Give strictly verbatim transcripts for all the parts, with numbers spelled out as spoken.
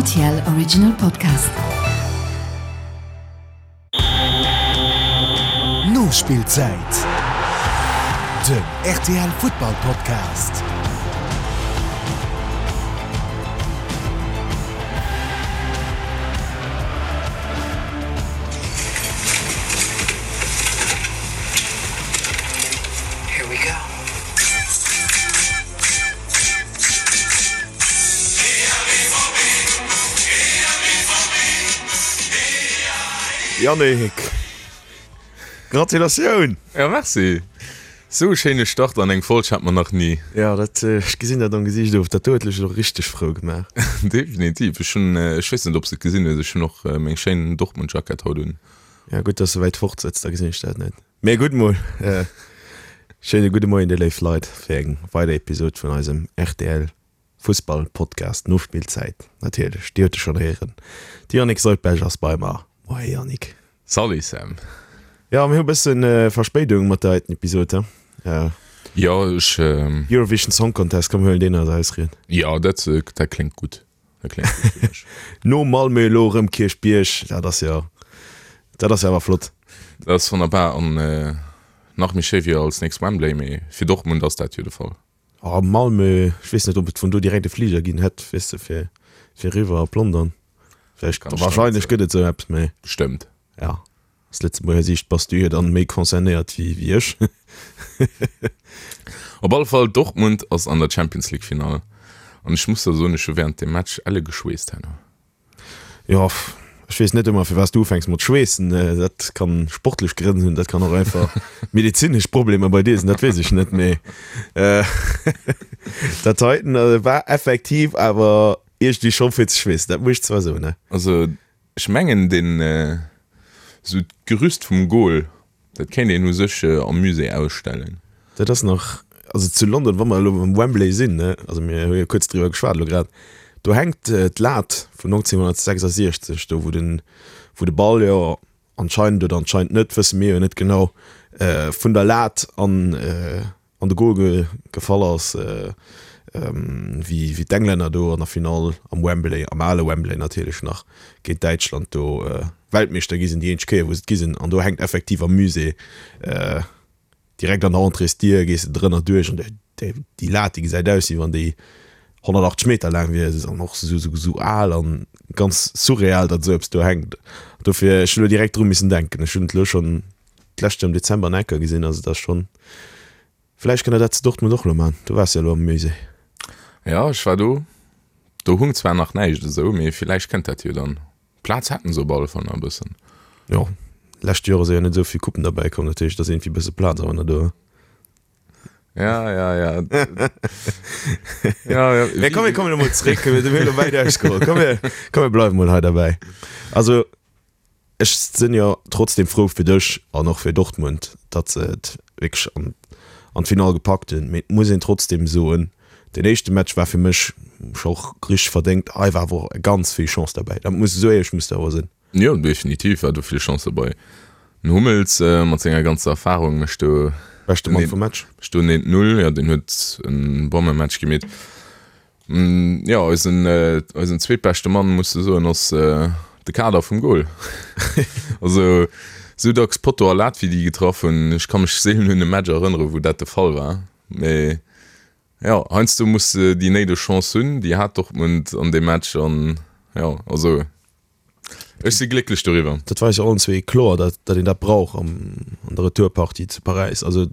R T L Original Podcast. Nospillzäit, den R T L Futtball Podcast. Here we go. Yannick, Gratulatioun! Ja, merci! Sou e schéine Start an eng Folg hat mer nach ni. Ja, dat, ech gesinn dat am Gesiicht of, dat do huet lech elo richteg frou gemaach. Definitiv. Ech hunn, ech weess net, ob s de et gesinn hues, ech hunn och meng schéin Dortmund-Jackett haut un. Ja, gutt, dass de wäit fort sëtz, da gesinn ech dat net. Mee gutt mol, schéine gudde Moien, dir léif Leit, fir eng weider Episod vun eisem R T L Fussball Podcast Nospillzäit. Natierlech, dir hutt e schonn héieren, de Yannick Soldberg ass bei mer. Moie Yannick. Salut Sam. Jo, mir hu bëssen Verspéidung mat der heiten Episod, he? Ja. Jo, ech. Eurovision Song Contest, komm mir huelen deen als Ausried. Jo, dat, dat kléngt gutt. Dat kléngt gutt fir mech. No Malmö elo erëm Kierchbierg, dat ass jo, dat ass jo awer flott. Dat ass wonnerbar an nach méi schéi wier als nächst Wembley, mee fir Dortmund ass dat jo de Fall. Oh, Malmö, ech weess net, ob et vun do direkt e Fliger ginn hätt, weess de, fir, fir eriwwer op London. Vläicht, Kann ech der net wahrscheinlech soen. gëtt et esou eppes, mee. Bestëmmt. Ja, aus Lëtzebuerger Siicht bass du jo dann méi concernéiert wéi, wéi ech. Op alle Fall, Dortmund ass an der Champions League Finall an ech muss der soen, ech hu während dem Match elle geschweesst herno. Jo, ech weess net ëmmer firwat s du ufänks mat schweessen. Dat kann sportlech Grënn hunn, dat kann och einfach medezinesch Problemer bei dir sinn, dat weess ech net, mee dat heiten war effektiv awer iergendwéi scho fir ze schweessen, dat muss ech zwar soen. Also ech mengen deen esou d'Gerüst vum Goal, dat kéint een u sech am Musée ausstellen. Dat ass nach, also zu London, wa mer elo beim Wembley sinn, ne, also mir hu jo kuerz driwwer geschwat elo grad, do hänkt d'Lat vun neunzehnhundertsechsundsechzig, do wou den, wou de Ball jo anscheinend oder anscheinend net, wësse mir jo net genau, vun der Lat an an de Goal ge gefall ass, wéi wéi d'Englänner do an der Finall am Wembley, am ale Wembley natierlech nach, géint Däitschland do Weltmeeschter gi sinn, déi eenzeg Kéier wou se et gi sinn. An do hänkt effektiv am Musée direkt an der Entréesdier, gees de drënner duerch an déi Lat, déi gesäit aus, wéi wann déi honnertachtzeg Meter laang wier. Se ass och esou al an ganz surreal, datt esou eppes do hänkt. Dofir, ech hunn elo direkt dru missen denken. Ech hunn et elo schonn d'lescht Joer am Dezember an Ecker gesinn. Also et ass schonn, vläicht kënnt der dat zu Dortmund och elo maachen. Du waars jo elo am Musée. Jo, ech war do. Do hung zwar nach näischt esou, mee villäicht kënnt dat jo dann. Plaz hätten se op alle Fall nach e bëssen. Jo, lescht Joer ass jo net esou vill Coupen derbäi komm, dat heescht, et ass iergendwéi e bësse Plaz awer nach do. Ja, ja, ja. Ja, ja. Mee komm, mir kommen elo mol zréck, mir hunn elo wäit ausgeholl. Komm, mir, komm, mir bleiwe mol hei derbäi. Also, ech sinn jo trotzdem frou fir dech an och fir Dortmund, datt se et wierklech an, an d'Finall gepackt hunn. Mee et muss een trotzdem soen, deen éischte Match war fir mech scho och richteg verdéngt. Hei war awer och ganz vill Chance derbäi. Dat muss, esou éierlech muss de awer sinn. Jo, definitiv war do vill Chance derbei. Den Hummels mat senger ganzer Erfahrung mécht do Beschte Mann vum Match. Mécht do en eent Null. Jo, deen huet en Bommematch gemeet. Jo, eisen eisen zweetbeschte Mann, muss de soen, ass de Kader vum Goal. Also esou dacks Potto a Lat wéi déi getraff hunn, ech ka mech seelen un e Match erënnere wou dat de Fall war. Mee jo, heiansdo muss de déi néideg Chance hunn, déi hat Dortmund an deem Match an jo, also ech si glécklech doriwwer. Dat war eis jo allen zwee kloer, datt datt een dat brauch am an der Retourpartie zu Paräis. Also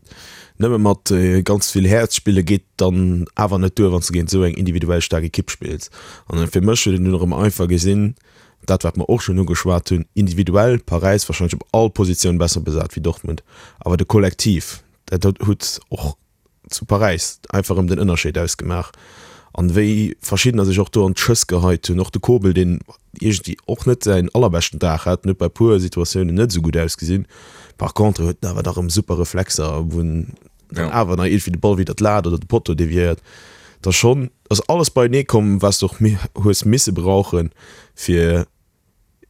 nëmme mat ganz vill Häerz spille geet dann awer net duer, wann s de géint esou eng individuell staark Ekipp spills. An fir mech huet een dunn erëm einfach gesinn, dat wat mer och schonn ugeschwat hunn, individuell Paräis warscheinlech op all Positioun besser besat wéi Dortmund, awer de Kollektiv, dat huet och zu Paräis einfach erëm den Ënnerscheed ausgemaach an wéi verschiddener sech och do an d'Schëss geheit hunn. Och de Kobel, deen iergendwéi och net säin allerbeschten Dag hat, en huet bei puer Situatiounen net esou gutt ausgesinn. Par contre huet en awer dach erëm super Reflexer, wou en dann awer nach iergendwéi de Ball widder d'Lat oder de Potto deviéiert. Et ass schonn, ass alles beienee komm, wat s de och hues misse brauchen, fir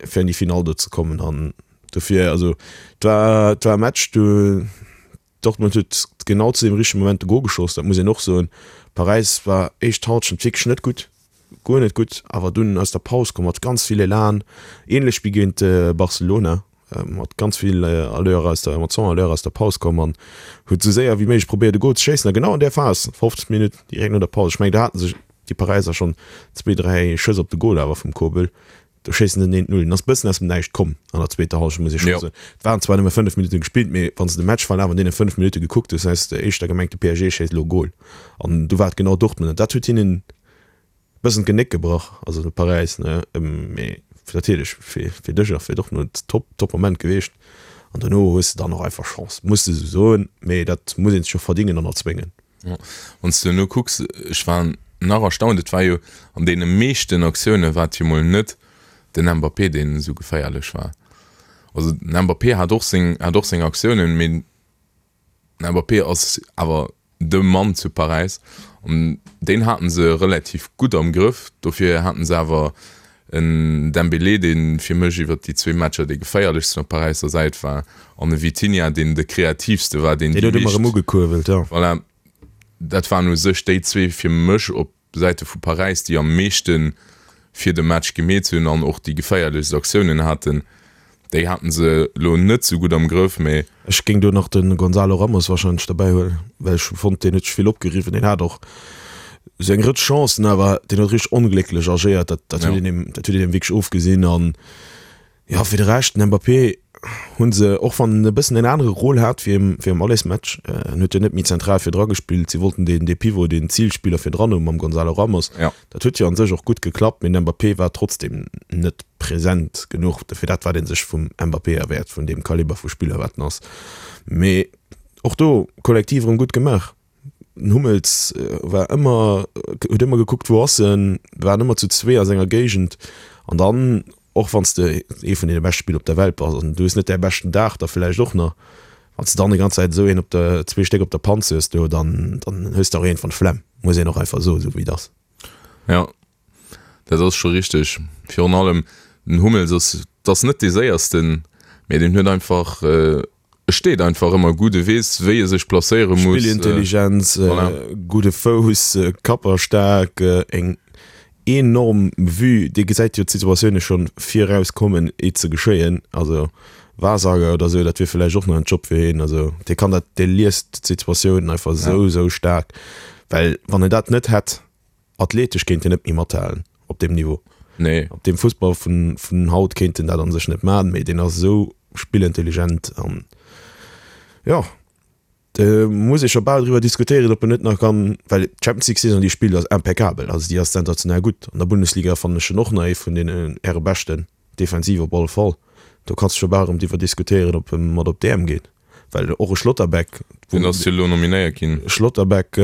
fir an déi Finall do ze kommen. An dofir, also et war, et war e Match, do Dortmund huet genau zu deem richtege Moment de Gol geschoss, dat muss een och soen. Paräis war éischt Halschent wierklech net gutt, guer net gutt, awer dunn aus der Paus komm mat ganz vill Elan, ähnlech wéi géint Barcelona, mat ganz vill Allure aus der, mat cent Allure aus der Paus komm an huet esou séier wéi méiglech probéiert e Gol ze schéissen a genau an där Phas, fofzeg Minutt direkt no der Paus, ech mengen do hate sech déi Paräiser schonn zwee, dräi Schëss op de Gol awer vum Kobel, do schéissen se den eent Null. En ass bëssen aus dem Näischt komm an der zweeter Hallschent, muss ee scho soen. Et waren zwar nëmme fënnef Minutten gespillt, mee wann s de de Matchverlaf an deene fënnef Minutte gekuckt hues, häss de éischter gemengt, de P S G schéisst elo e Gol. An du war et genau Dortmund. An dat huet hinnen e bëssen d'Genéck gebrach, also de Paräis, ne. Mee natierlech fir fir dech a fir Dortmund top, top Moment gewiescht. An dono hues de dann och einfach Chance, muss de esou soen, mee dat muss een sech och verdingen an erzwéngen. Wann s de elo kucks, ech war nach erstaunt, et war jo an deene meeschten Aktioune war et jo mol net den Mbappé, deen esou geféierlech war. Also den Mbappé hat och seng, hat och seng Aktiounen, mee den Mbappé ass awer de Mann zu Paräis an deen hate se relativ gutt am Grëff. Dofir haten se awer en Dembélé, dee fir mech iwwer déi zwee Matcher dee geféierlechsten op Paräisser Säit war, an e Vitinha, deen de kreatiivste war, deen déi huet ëmmer erëm ugekuerbelt, jo. Voilà, dat waren u sech déi zwee fir mech op Säite vu Paräis, déi am meeschte fir de Match gemeet hunn an och déi geféierlechst Aktiounen haten. Déi haten se elo net sou gutt am Grëff, mee. Ech géing do nach de Gonzalo Ramos warscheinlech derbäi huelen, well ech hu fonnt, deen huet sech vill opgeriwwen. Deen hat och sou eng Rëtsch Chancen, awer deen huet richteg onglécklech agéiert. Dat, dat huet een him, dat huet een him wierklech ofgesinn. An jo, fir de Rescht, den Mbappé hu se, och wann en e bëssen en anere Rôle hat wéi am, wéi am Allesmatch, en huet jo net méi zentral virdra gespillt, si wollten deen, dee Pivot, deen Zilspiller virdran hu mam Gonzalo Ramos. Dat huet jo an sech och gutt geklappt, mee den Mbappé war trotzdem net present genuch fir dat wat ee sech vum Mbappé erwäert, vun deem Kaliber vu Spiller wat en ass. Mee och do kollektiv erëm gutt gemaach. Den Hummels war ëmmer, huet ëmmer gekuckt wou ass en, waren ëmmer zu zwee a senger Géigend an dann, och wann s de ee vun deene beschte Spiller op der Welt bass an du hues net däi beschten Dag da vläicht och nach, wann s de dann déi ganz Zäit esou een op der, zwee Stéck op der Panz hues do, dann, dann hues de och iergendwann d'Flemm, muss een och einfach soen, esou wéi et ass. Jo, dat ass scho richteg. Virun allem den Hummels ass, et ass net dee séiersten, mee deen huet einfach, e steet einfach ëmmer gutt, e weess wéi e sech placéiere muss. Spillintelligenz, Voilà. gudde Fouss, kapperstaark, eng enorm Vue, dee gesäit jo d'Situatioune scho viraus kommen, iert se geschéien. Also Wahrsager oder esou, dat wier vläicht och nach en Job fir hien. Also dee kann dat, dee liest d'Situatiounen einfach esou, esou staark, well wann en dat net hätt, Athletesch kéint en net méi mathalen op deem Niveau. Nee. Op deem Fussball vun, vun haut kéint en dat an sech net man, mee deen ass esou spillintelligent an jo, do muss ee scho bal driwwer diskutéieren, ob en net nach kann, well d'Champions League Saison déi e spillt ass impeccabel, also déi ass sensationell gutt. An der Bundesliga fannen ech en och nach ee vun den Äre beschten, defensiv op alle Fall. Do kanns de scho bal erëm driwwer diskutéieren, ob e mat op d'E M geet, well och e Schlotterbeck, Deen ass jo elo nominéiert ginn. Schlotterbeck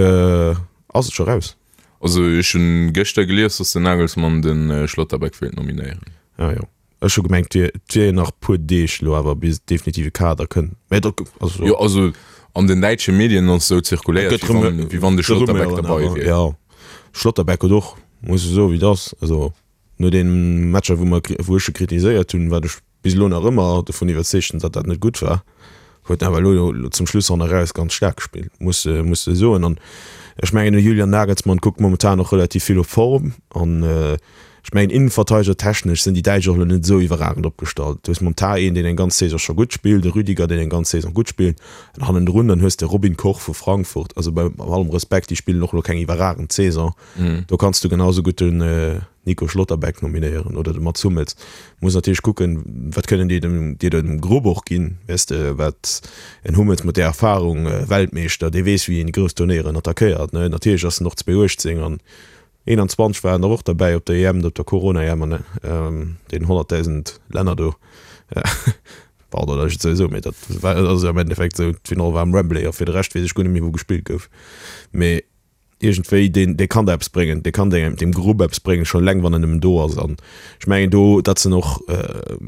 ass et scho raus. Also ech hunn gëschter gelies, dass den Nagelsmann de Schlotterbeck wéilt nominéieren. Ah jo, ech hu gemengt et wier nach puer Deeg elo awer bis definitive Kader kënnt. Mä dat also. Jo also an den däitsche Medien ass esou zirkuléiert wéi wann wéi wann de Schlotterbeck derbei wier. Jo, Schlotterbeck huet och, muss ech soen wéi et ass, also no deene Matcher wou mer wou ech e kritiséiert hunn, wat ech bis elo nach ëmmer dovun iwwerzeegt sinn, datt dat net gutt war, huet awer elo zum Schluss han eraus ganz staark gespillt, muss muss de soen. An ech mengen de Julian Nagelsmann kuckt momentan och relativ vill op Form an ech mengen Innenverteideger technesch sinn déi Däitsch och elo net esou iwwerragend opgestallt. Du hues mam Tah een deen eng ganz Saison scho gutt spillt, de Rüdiger deen eng ganz Saison gutt spillt an hannendrun dann hues de Robin Koch vu Frankfurt. Also bei allem Respekt, déi spillen och elo keng iwwerragend Saison. Do kanns du genau esou gutt den Nico Schlotterbeck nominéieren oder de Mats Hummels. Muss natierlech kucken, wat kënnen déi dem, dir dem Grupp och ginn, weess de, wat en Hummels mat där Erfahrung, Weltmeeschter, dee weess wéi een déi grouss Turnéieren attackéiert, ne. Natierlech ass en och zwee uechtzéng an eenanzwanzeg war en der och derbäi op der E M, op der Corona-E M an deenen honnertdausend Länner do. Pardon, datt ech et esou soen, mee dat war, ass jo am Endeffekt esou, d'Finall war am Wembley a fir de Rescht weess ech guer net méi wou gespillt gouf. Mee iergendwéi, deen, dee kann der eppes bréngen, dee kann dengem, deem Grupp eppes bréngen, schonn eleng wann en nëmmen do ass. An ech mengen do, dat sinn och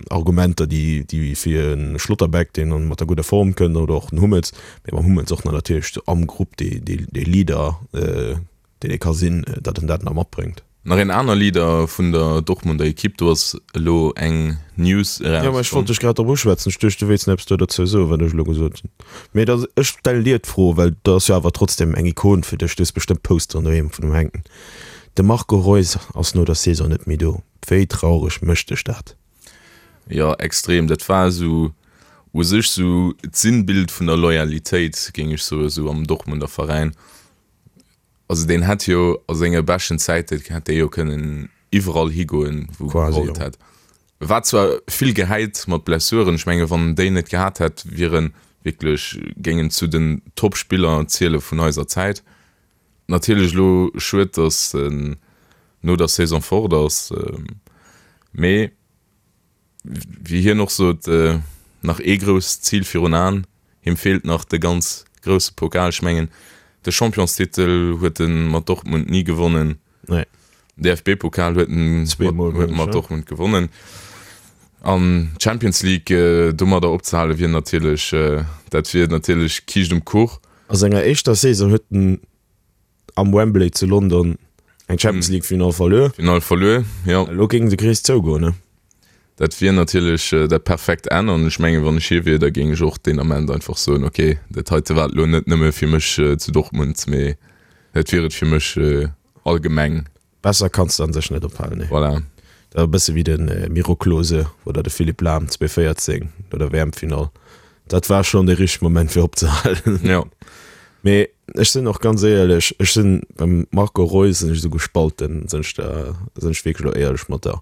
Argumenter, déi, déi fir e Schlotterbeck, deen dann mat der gudder Form kënnt, oder och den Hummels, mee mam Hummels och nach natierlech sou am Grupp dee, dee, dee Leader, deen ee ka sinn, datt en dat nach matbréngt. Nach een aner Leader vun der Dortmunder Ekipp, do ass elo eng News Jo, mä ech erauskomm. wollt dech grad drop uschwätzen. Ech duecht, du wéilts nach eppes do dozou soen, wat ech elo gesot hunn. Mee da, ech stellen dir d'Fro, well dat ass jo awer trotzdem eng Ikon fir dech. Du hues bestëmmt Posteren doheem vun him hänken. De Marco Reus ass no der Saison net méi do. Wéi traureg mécht dech dat? Jo, extrem. Dat war esou u sech esou d'Sinnbild vun der Loyalitéit, géing ech soen, esou am Dortmunder Veräin. Also deen hätt jo a senge beschten Zäite hätt dee jo kënnen iwwerall higoen, wou e gewollt hätt. War zwar vill gehäit mat Blessuren, ech menge wann en déi net gehat hätt, wier en wierklech, géing en zu den Top-Spiller ziele vun eiser Zäit. Natierlech elo schued, datt en no der Saison fort ass, mee wéi hien och sot, nach ee grousst Zil virun Aen, him feelt nach de ganz grousse Pokal. Ech mengen, de Championstitel huet e mat Dortmund ni gewonnen, Nee. D F B-Pokal huet en Zweemol, huet mengen ech, mat ja. Dortmund gewonnen. An d'Champions League domadder opzehale wier natierlech, dat wier natierlech Kiischt um Kuch. A senger éischter Saison huet en am Wembley zu London eng Champions League Final verluer. Final verluer, jo. Elo géing de Krees zougoen, ne? Dat wier natierlech dat perfekt Enn an ech mengen, wann ech hie wier, da géing ech och deen Ament einfach soen, ok, dat heite war et elo net nëmme fir mech zu Dortmund, mee dat wier et fir mech allgemeng. Besser kanns de an sech net ophalen, nee. Voilà. Dat ass e bësse wéi de Miro Klose oder de Philipp Lahm zweedueisendvéierzéng no der W M-Finall. Dat war schonn de richtege Moment fir opzehalen. Jo. Mee ech sinn och ganz éierlech, ech sinn beim Marco Reus sinn ech esou gespalten, sinn ech der, sinn ech wierklech elo éierlech mat der.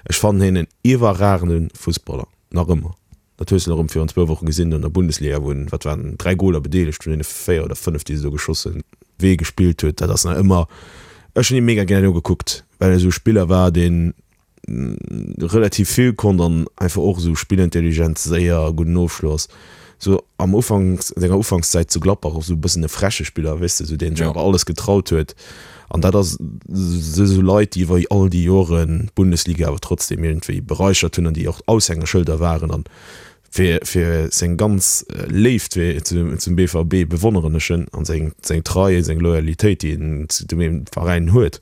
Ech fannen hien en iwwerragende Fussballer, nach ëmmer. Dat hues de erëm virun zwou Woche gesinn an der Bundesliga, wou en, wat waren, dräi Goler bedeelegt vun deene véier oder fënnef, déi se do geschoss hunn. Wéi e gespillt huet, dat ass nach ëmmer, ech hunn hie mega gär nogekuckt, well e sou e Spiller war, deen relativ vill konnt an einfach och esou spillintelligent, séier, gudden Ofschloss. Sou am Ufank, senger Ufankszäit zu Gladbach och sou e bëssen e freche Spiller, weess de, sou deen sech Ja. awer alles getraut huet. An dat ass si sou Leit, déi iwwer all déi Joren d'Bundesliga awer trotzdem iergendwéi beräichert hunn an déi och Aushängeschëlder waren. An fir, fir seng ganz Léift fir zum, zum B V B bewonneren ech en an seng, seng Trei, seng Loyalitéit, déi en zu dem Veräin huet.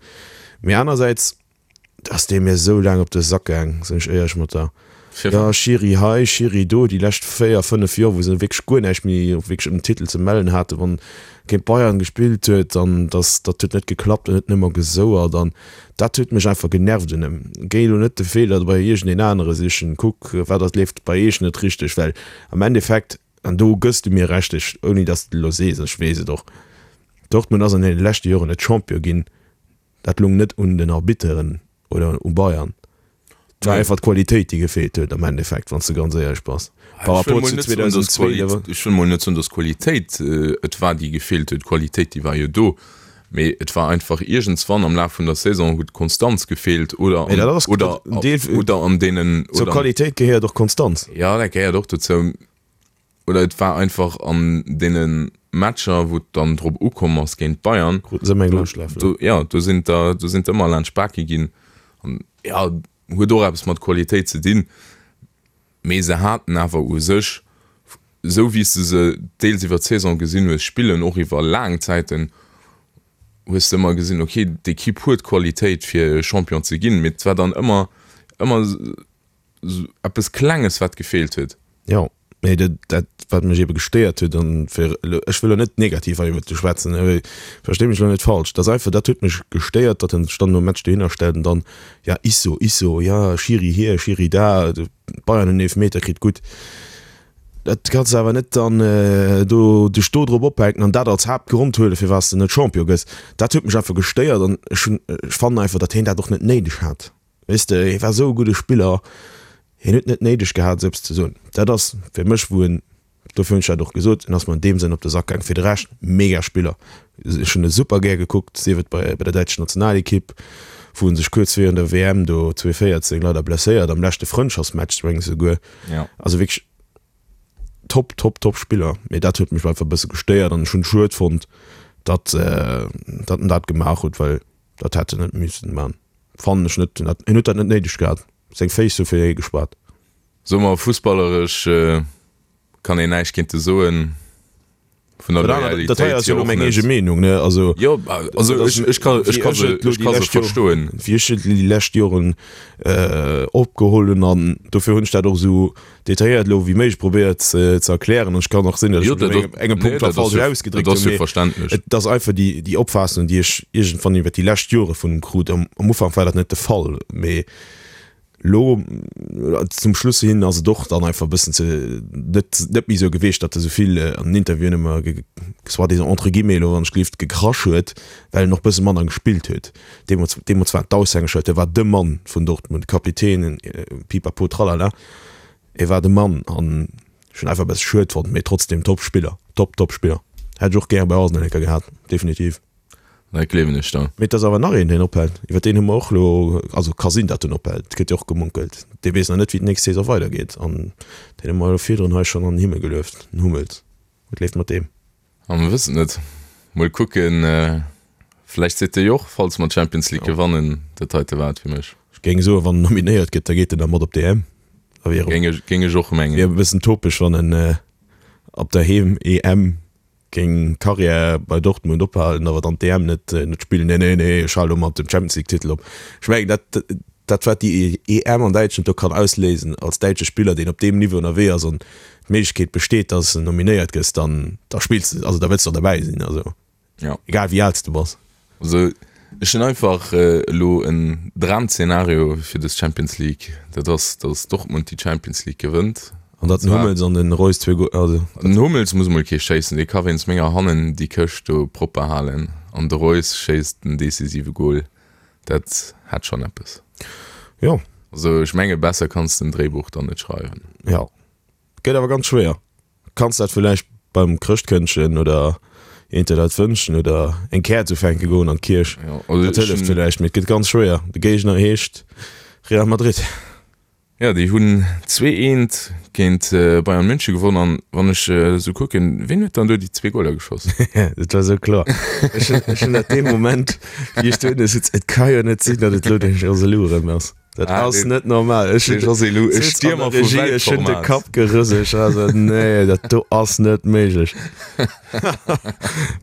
Mee anersäits ass dee mir esou laang op de Sack gaang, sinn ech éierlech mat der. Ja, Schiri hei, Schiri do, déi lescht véier, fënnef Joer, wou se wierklech guer näischt méi wierklech ëm den Titel ze mellen haten, wann géint Bayern gespillt huet, an dass dat huet net geklappt an huet nëmmer gesouert an dat huet mech einfach genervt un em. Géi elo net de Feeler bei iergendeen anere sichen, kuck wat ass leeft bei iech net richteg, well am Endeffekt, an do gëss du mir Recht, ech, ouni dass de elo sees, ech weess et och, Dortmund ass an deene leschte Joren net Champion ginn, dat lung net un den Arbitteren oder u Bayern. Et war einfach d'Qualitéit, déi gefeelt huet am Endeffekt, wann s de ganz éierlech bass. Par rapport zu zweedausendenzwee, da war. Ech wëll mol net soen, datt d'Qualitéit et war, déi gefeelt huet. D'Qualitéit, déi war jo do, mee et war einfach iergendswann am Laf vun der Saison huet d'Konstanz gefeelt oder Mee dat ass oder en Deel, oder an deenen zur oder Qualitéit gehéiert och Konstanz. Jo, dat gehéiert och dozou. Oder et war einfach an deene Matcher, wou et dann drop ukomm ass géint d'Bayern, Kruten se ëmmer eng do, Laanschtläffelen. do, jo, do sinn der, do sinn d'ëmmer laanscht d'Bake ginn. An jo, huet och eppes mat Qualitéit ze dinn, mee se haten awer u sech, esou wéi s de se deels iwwer d'Saison gesinn hues spillen, och iwwer laang Zäiten, hues de ëmmer gesinn, okay, d'Ekipp huet d'Qualitéit fir Champion ze ginn, mee et war dann ëmmer, ëmmer eppes Klenges, wat gefeelt huet. Jo, mee dat, dat wat mech ebe gestéiert huet, an fir elo, ech wëll elo net negativ hei iwwert e schwätzen, verstee mech elo net falsch, dat ass einfach, dat huet mech gestéiert, datt en sech dann nom Match dohinner stellt an dann, ja, Isso, Isso, ja, Schiri hier, Schiri da, d'Bayern hunn Eelefmeter kritt, gutt, dat kanns de awer net dann do dech do drop ophänken an dat als Haaptgrond huelen, firwat s de net Champion gëss. Dat huet mech einfach gestéiert an ech hunn, ech fannen einfach, datt hien dat och net néideg hat. Weess de, hie war esou e gudde Spiller, hien huet net néideg gehat, esou eppes ze soen. Dat ass fir mech, wou en, dofir hunn ech dat och gesot, en ass mer an deem Sënn op de Sak gaang. Fir de Rescht, mega Spiller. Ech hunn e super gär gekuckt, sief et bei bei der däitscher Nationalekipp, wou en sech kuerz virun der W M do zweedueisendvéierzéng leider blesséiert, am leschte Frëndschaftsmatch mengen ech esouguer. Also wierklech top, top, top Spiller. Mee dat huet mech einfach e bësse gestéiert an ech hunn et schued fonnt, datt datt en dat gemaach huet, well dat hätt en net missen man. Fannen ech net. En huet dat net néideg gehat. Seng Féiss hu fir hie geschwat. Soe mer, fussballeresch kann een näischt géint e soen. vun der Dat aner- dat hei Loyalitéit ass jo hier lo och meng net. eege Meenung, ne? Also, Jo, also dat ech, ass- ech kann, ech wéi kann ech se, et lo ech déi kann se lescht Joer- verstoen. wéi ech et déi lescht Joren äh, opgeholl hunn an dofir hunn ech dat och esou detailléiert elo wéi méiglech probéiert ze, ze erklären. An ech kann och sinn, datt Jo, ech mech dat op engem, engem nee, Punkt dat ass falsch jo, ausgedréckt dat ass hunn, jo mee verständlech. et ass einfach déi, déi Opfaassung, déi ech iergendwann iwwer déi lescht Jore vun him krut. Am, am Ufank war dat net de Fall, mee lo zum Schluss hin ass et och dann einfach e bëssen ze net net méi esou gewiescht, datt e sou vill an den Interviewen ëmmer ge soi-disant entre guillemets elo wann ech gelift gekrasch huet, well en och bësse manner gespillt huet. Deemools deemools war et d'Aushängeschëld, e war de Mann vun Dortmund, Kapitän, pipapo tralala, e war de Mann an ech hunn einfach e bësse schued fonnt, mee trotzdem top Spiller, top top Spiller. Hätt ech och gäre bei Arsenal eng Kéier gehat, definitiv. Dat gleewen ech der. Mee et ass awer nach een, deen ophält. Iwwer deen hu mer och elo, also ka sinn, datt en ophält, et gëtt jo och gemunkelt. Dee weess nach net, wéi d'nächst Saison weidergeet. An deen hu mer elo virdrun hei schonn an den Himmel gelueft, den Hummels. Wat leeft mat deem? A mer wëssen et net. Mol kucken, vläicht seet de jo och, falls mer d'Champions League gewannen, dat heite war et fir mech. Ech géing soen, wann en nominéiert gëtt, da geet en da mat op d'EM. Da wier Géing ech, géing ech och mengen. wier e bëssen topesch, wann en op der Heem-EM Géing Karriär bei Dortmund ophalen, awer dann d'EM net net spillen. Nee, nee, nee, ech hale lo mat dem Champions League Titel op. Ech mengen dat dat wat déi EM an Däitschland do kann ausléisen als däitsche Spiller, deen op deem Niveau ënnerwee ass an d'Méiglechkeet besteet, dass de nominéiert gëss, dann da spills de, also da wëlls de och derbäi sinn, also Ja. egal wéi al s de bass. Also ech hunn einfach elo en Dramzenario fir dës Champions League, dat ass, dass Dortmund déi Champions League gewënnt. An datt den Hummels an den Reus zwee Go-, also. Den Hummels muss mol kee schéissen, dee ka wéinst menger hannen déi Këscht do propper halen an de Reus schéisst den decisive Gol. Dat hätt schonn eppes. Jo. Also ech menge besser kanns de en Dréibuch dann net schreiwen. Jo. Gëtt awer ganz schwéier. Kanns dat villäicht beim Chrëschtkëndchen oder eent der dat wënschen oder eng Käerz ufänke goen an d'Kierch. Jo, also Dat hëlleft ech hunn. villäicht, mee et gëtt ganz schwéier. De Géigner heescht Real Madrid. Jo, déi hunn zwee eent géint Bayern München gewonn an wann ech esou kucken, ween huet dann do déi zwee Goler geschoss? Dat war esou kloer. Ech hunn, ech hunn dat dee Moment, wéi ech dohinner sutz, et ka jo net sinn, datt et elo de Joselu erëm ass. Dat Ah, ass deen, net normal. Ech dee hunn, Joselu, e sutz an der Stiermer vu Regie, ech hunn de Weltformat. Kapp gerëselt. Ech war esou, nee, dat do ass net méiglech.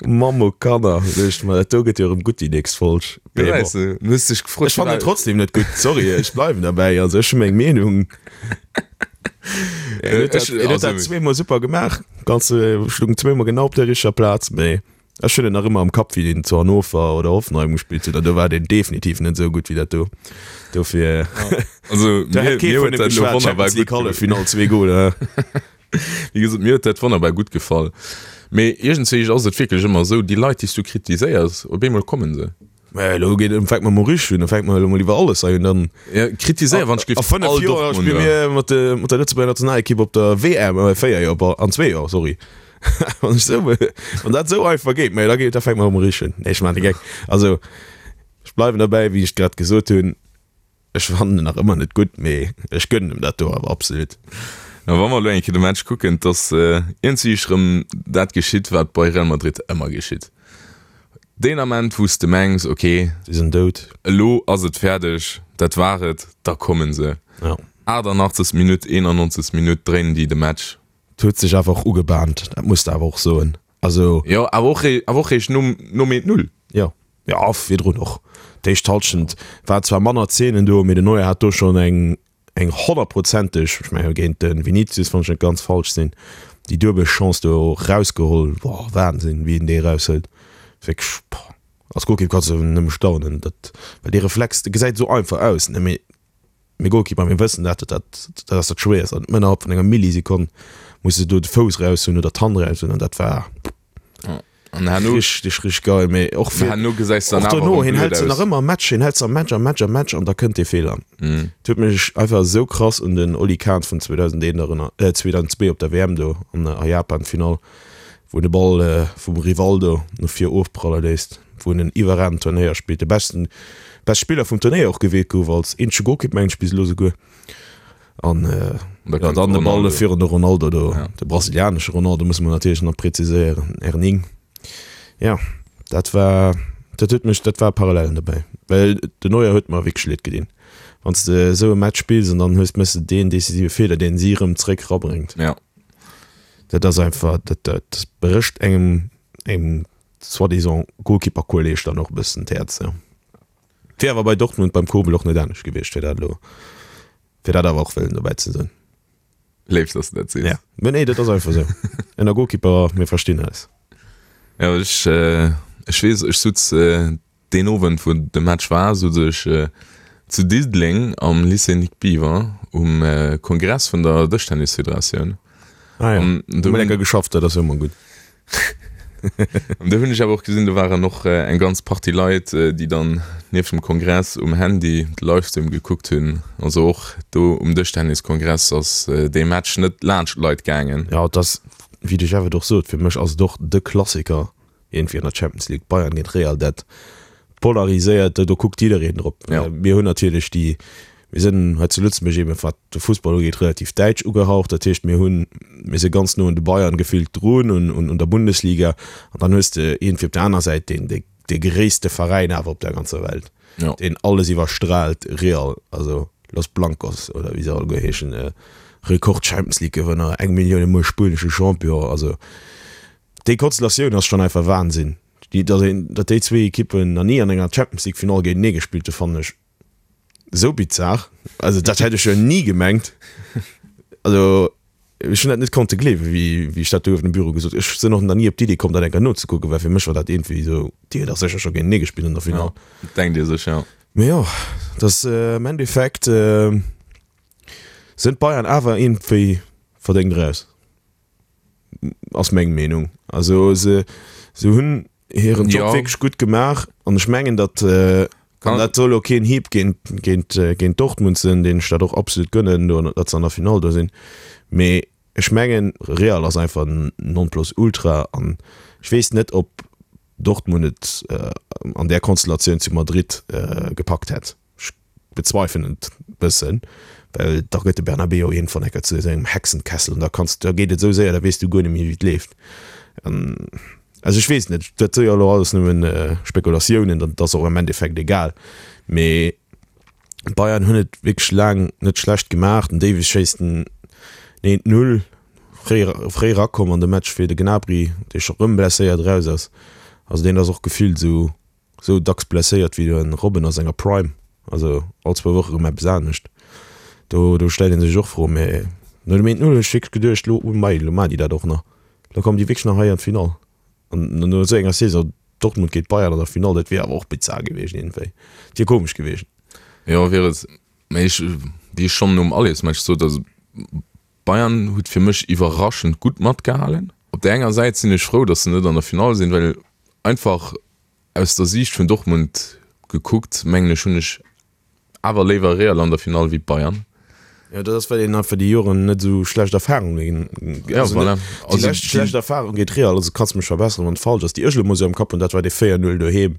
Mamm o Kanner, duecht ech mer, dat do gëtt jo erëm gutt déi nächst Folg. Ja, Mee bon. weißt du, du hues dech gefrot, Ech fannen en trotzdem net gutt, sorry, ech bleiwen derbäi. Also ech hu meng Meenung. En huet dat, en huet dat zweemol super gemaach, ganz stoung zweemol genau op der richteger Plaz, mee ech hunn en nach ëmmer am Kapp, wéi deen zu Hannover oder Hoffenheim gespillt huet, an do war deen definitiv net esou gutt wéi dat do. Dofir, Also do mir, hätt kee mir vun huet him dat elo geschwat, wonnerbar Champions League gutt Halleffinall, zwee Goler. Wéi gesot, mir huet dat wonnerbar gutt gefall. Mee iergendswéi ass et wierklech ëmmer esou, déi Leit, déi s du kritiséiers, op eemol kommen se. Mä elo geet, fänke mer mol richteg un, da fänke mer elo mol iwwer alles hei un, dann. Ja, kritiséier wann ech A géif fënnef all Joer spille Dortmunder. mir mat de, mat der Lëtzebuerger Nationalekipp op der W M, äh, véier Joer, bon, an zwee Joer, sorry. Wann ech esou, wann dat esou einfach geet, mä da geet, da fänke mer mol richteg un. Nee, ech maachen de Geck. Also, ech bleiwen derbäi, wéi ech grad gesot hunn. Ech fannen en nach ëmmer net gutt, mee ech gönnen em dat do awer absolut. Na, wa mer elo eng Kéier de Match kucken, et ass iergendwéi erëm dat geschitt, wat bei Real Madrid ëmmer geschitt. Deen Ament, wou s de mengs, ok, Si sinn dout. elo ass et fäerdeg, dat war et, da komme se. Ja. achtannachtzeg Minutt, eenannonzeg Minutt dréinen déi de Match. Et huet sech awer och ugebahnt, dat muss de awer och soen. Also. Jo, awer och, awer och eréischt nom, nom eent Null. Jo. Jo, virdrun och. D'éischt Halschent war zwar manner Zeenen do, mee den Neuer hat do schonn eng eng honnertprozenteg, ech mengen géint de Vinicius, wann ech net ganz falsch sinn, déi duebel Chance do erausgeholl. Boah, Wahnsinn, wéi en déi eraushëlt. Wierklech, boah, als Golkipp kanns de nëmme staunen, dat, well dee Reflex, dee gesäit esou einfach aus, ne, mee mir Golkipper, mir wëssen dat, dat, dat ass dat Schwéierst an ënnerhalb vun enger Millisekonn muss de do de Fouss eraushunn oder d'Hand eraushunn an dat war An herno, richtig, richtig geil, mee och fir, herno gesäis dann och awer dono, erëm hien blöd hält se nach aus. ëmmer am Match, hien hält se am Match, am Match, am Match an da kënnt dee Feeler. Mhm. Et huet mech einfach esou krass un den Oli Kahn vun zweedausendeent erënnert, äh, zweedausendzwee op der W M do an a Japan, Finall, wou en de Ball äh, vum Rivaldo no vir ofpralle léisst, wou en en iwwerraagenden Turnéier spillt, de besten, best Spiller vum Turnéier och gewielt gouf als eenzege Golkipp, mengen ech, bis elo souguer. An äh, Da ja, kënnt dann de Ball Ronaldo. virun de Ronaldo do, Ja. de brasilianesche Ronaldo musse mer natierlech nach präziséieren, Erning. Ja, dat war, dat huet mech, dat war Parallelen dobäi, well de Neuer huet mer wierklech leed gedinn. Wann s de esou e Match spills an dann hues, méchs de deen decisive Feeler, deen si erëm zréck rabréngt. Ja. Dat ass einfach, dat, dat brécht engem, engem soi-disant Goalkeeper-Kolleg dann och e bëssen d'Häerz. Ja. Wier awer bei Dortmund beim Kobel och net anescht gewiescht, fir dat elo, fir dat awer och wëllen dobäi ze soen. Léif, dass du dat sees. Ja, mä nee, dat ass einfach esou. Ënner Goalkeeper, mir verstinn eis. Ja, ech, ech weess, ech sutz deen Owend, wou de Match war, sutz ech zu Diddeleng am Lycée Nic Biver um Kongress vun der Dëschtennisfederatioun. Ah ja, do hunn lecker geschafft, dat ass jo ëmmer gutt. An do hunn ech awer och gesinn, do waren och eng ganz Partie Leit, déi dann nieft dem Kongress um Handy de Livestream gekuckt hunn. Also och do um Dëschtenniskongress ass dee Match net laanscht d'Leit gaangen. Jo, et ass, wéi de Jeff et och sot, fir mech ass et och de Klassiker iergendwéi an der Champions League, Bayern géint Real, dat polariséiert, do kuckt jiddereen drop. Mir hunn natierlech déi, mir sinn hei zu Lëtzebuerg eben, wat de Fussball ugeet, relativ däitsch ugehaucht. Dat heescht, mir hunn, mir si ganz no un de Bayern gefillt drun, un, un der Bundesliga. An dann hues de iergendwéi op der aner Säit deen, dee, dee gréisste Veräin awer op der ganzer Welt, deen alles iwwerstraalt, Real, also Los Blancos oder wéi se alleguer heeschen, Rekord-Champions-League-Gewënner, eng Millioun emol spuenesche Champion. Also déi Konstellatioun ass schonn einfach Wahnsinn. Déi, datt een, datt déi zwee Ekippen nach ni an enger Champions League Finall géintenee gespillt hunn, fannen ech esou bizar. Also dat hätt ech jo ni gemengt. Also ech hunn dat net konnte gleewen, wéi, wéi ech dat do uewen am Büro gesot hunn. Ech sinn och nach ni op d'Idee komm, dat eng Kéier nozekucken, well fir mech war dat iergendwéi esou, déi hunn dach sécher scho géintenee gespillt an der Finall. Ja, dat denkt ee sech, jo. Mee jo, dat am Endeffekt sinn d'Bayern awer iergendwéi verdéngt eraus. Ass meng Meenung. Also se se hunn hiren Job Ja. wierklech gutt gemaach an ech mengen, datt äh, an dat soll och keen Hieb géint géint äh, géint Dortmund sinn, deen ech dat och absolut gönnen, do datt se an der Finall do sinn. Mee ech mengen Real ass einfach en Nonplusultra an ech weess net, ob Dortmund et äh, an där Konstellatioun zu Madrid äh, gepackt hätt. Ech bezweifelen et bëssen, well da gëtt de Bernabéu iergendwann enker zu esou engem Hexenkessel an da kanns, da geet et esou séier, da weess du guer net méi wéi et leeft. An also ech weess net, dat si jo elo alles nëmmen Spekulatiounen, dat ass och am Endeffekt egal, mee d'Bayern hunn et wierklech laang net schlecht gemaach. Den Davies schéisst en eent Null, fréi fréi erakomm an de Match fir de Gnabry, dee scho rëm blesséiert eraus ass. Also deen ass och gefillt esou Sou dacks blesséiert wéi den Robben a senger Prime, also all zwou Woche rëm eppes anescht. Do do stellt een sech och Froen. Mä no dem eent Null hunn ech wierklech geduecht, lo oh mei, lo maachen déi dat och nach, lo kommen déi wierklech nach hei an d'Finall. An no esou enger Saison, Dortmund géint Bayern an der Finall, dat wier awer och bizar gewiescht iergendwéi. Et wier komesch gewiescht. Jo wier et, mä ech, wéi ech schonn nom Allesmatch sot, also Bayern huet fir mech iwwerraschend gutt matgehalen. Op där enger Säit sinn ech frou, datt se net an der Finall sinn, well einfach Aus der Siicht vun Dortmund gekuckt, mengen ech, hunn ech awer léiwer Real an der Finall wéi Bayern. Jo, dat ass well een einfach déi Joren net esou schlecht Erfahrungen, Ja, also voilà. net déi Also lescht schlecht Erfahrung géint Real, also kanns mech verbesseren wann et falsch ass, déi ech elo mol esou am Kapp hunn, dat war dee véier Null doheem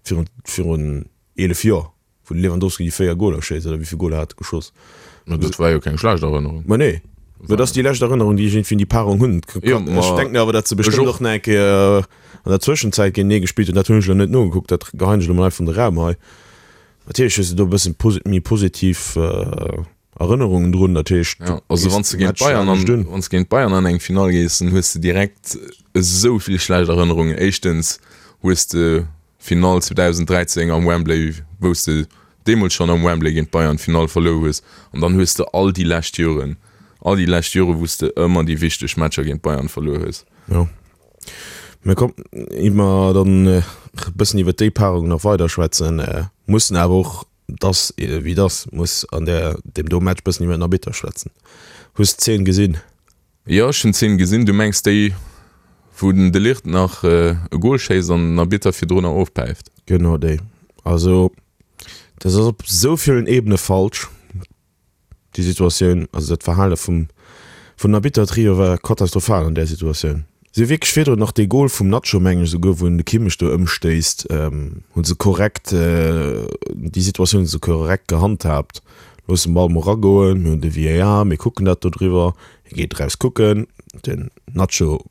virun virun eelef Joer. Wou de Lewandowski déi véier Goler schéisst, oder wéi vill Goler hat e geschoss? Ma dat war jo keng schlecht Erënnerung. Ma nee, mä dat ass déi lescht Erënnerung, déi ech iergendwéi un déi Paarung hunn. Jo, ma Ech denken awer, datt se ech bestëmmt och. och nach eng Kéier an der Zwëschenzäit géintenee gespillt hunn. Dat hunn ech elo net nogekuckt, dat geheien ech elo mol einfach an de Raum hei. Natierlech hues de do e bëssen posi méi positiv Erënnerungen drun, dat heescht, Ja, du also gees wann s de de géint Match Bayern an, anescht un. wann s de géint Bayern an eng Finall gees, dann hues de direkt esou vill schlecht Erënnerungen. Éischtens hues de Finall zweedausenddräizéng am Wembley, wou s de deemools schonn am Wembley géint Bayern d'Finall verluer hues. An dann hues de all déi lescht Joren, all déi lescht Jore wou s de ëmmer déi wichteg Matcher géint Bayern verluer hues. Jo. Mä komm, ier mer dann e bëssen iwwer déi Paarung nach weider schwätzen, mussen awer och, dass wéi dass, muss an där, deem do Match bëssen iwwer den Arbitter schwätzen. Hues d'Zeen gesinn? Jo, ech hunn d'Zeen gesinn. Du mengs déi, wou den De Ligt nach e Gol schéisst an den Arbitter virdrunner ofpäift? Genau déi. Also dat ass op esou villen Ebene falsch, déi Situatioun. Also dat Verhale vum vun Arbitter-Trio war katastrophal an där Situatioun. Si hu wierklech virdrun nach dee Gol vum Nacho, mengen ech esouguer, wou en de Kimmich do ëmstéisst, hu se korrekt, déi Situatioun hu se korrekt gehandhaabt. Loossen den Ball mol eragoen, mir hunn de V A R, mir kucken dat do driwwer. Hie geet eraus kucken, den Nacho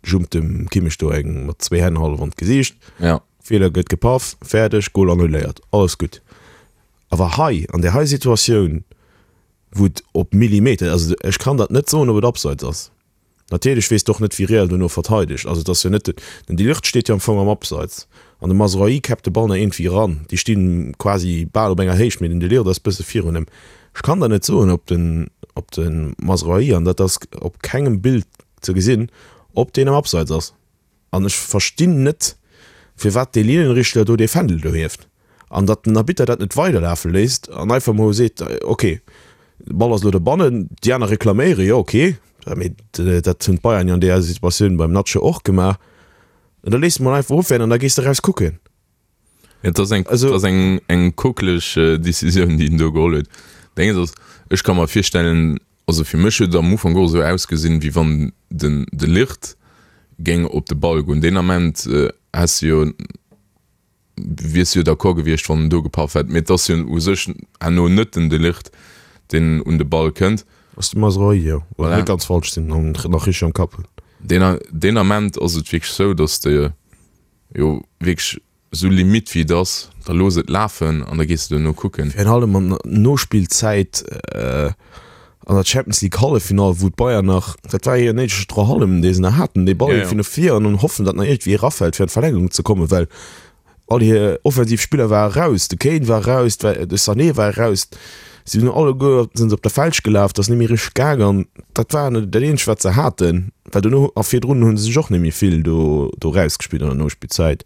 jumpt dem Kimmich do eng mat zwee Hänn hallef an d'Gesiicht. Ja. Feeler gëtt gepaff, fäerdeg, Gol annuléiert, alles gutt. Awer hei, an där hei Situatioun, wou et op Millimeter, also ech kann dat net soen, ob et abseits ass, Natierlech weess de och net, wéi Real dono verteidegt. Also et ass jo net, den De Ligt steet jo am Fong am Abseits an de Mazraoui käppt de Ball nach iergendwéi eran. Déi sti quasi bal op enger Héicht, mee den De Ligt ass bësse virun him. Ech kann der net soen, ob den, ob de Mazraoui, an dat ass op kengem Bild ze gesinn, ob deen am Abseits ass. An ech verstinn net, firwat dee Linienrichter do dee Fändel do hieft an datt den Arbitter dat net weiderlafe léisst an einfach mol seet, ok, de Ball ass elo dobannen, déi aner reklaméieren, jo ok, mee dat hunn d'Bayern jo an deeër Situatioun beim Nacho och gemaach, an da léisst de mol einfach ofwehren an da gees de eraus kucken. Et ass eng, Also- et ass eng, eng kokeleg Decisioun, déi en do geholl huet. Dénges ass, ech ka mer virstellen, also fir mech huet et am Ufank och esou ausgesinn, wéi wann den De Ligt géing op de Ball goen. Deen Ament häss de jo, wiers de jo d'accord gewiescht, wann en do gepaff hätt. Mee et ass jo u sech herno net den De Ligt, deen un de Ball kënnt. Ass de Mazraoui, jo. Wann ech Voilà. net ganz falsch sinn an nach richteg am Kapp hunn. Deen, deen Ament ass et wierklech esou, datt de jo wierklech esou limite wéi et ass, da looss et lafen an da gees de duerno kucken. Virun allem an der Nospillzäit an der Champions League Halleffinall, wou d'Bayern nach, dat war hir néidege Strohallem, dee se nach haten, dee Ball iergendwéi no vir an dann hoffen, datt nach iergendwéi erafält, fir an d'Verlängerung ze kommen, well all hir offensiv Spiller ware raus, de Kane war raus, de Sané war raus, si hunn alleguer sinn se op der Fälsch gelaf, dat ass net méi richteg gaang an dat war dat eenzegt wat se haten, well dono a virdrun hu se sech och net méi vill do do rausgespillt an der Nospillzäit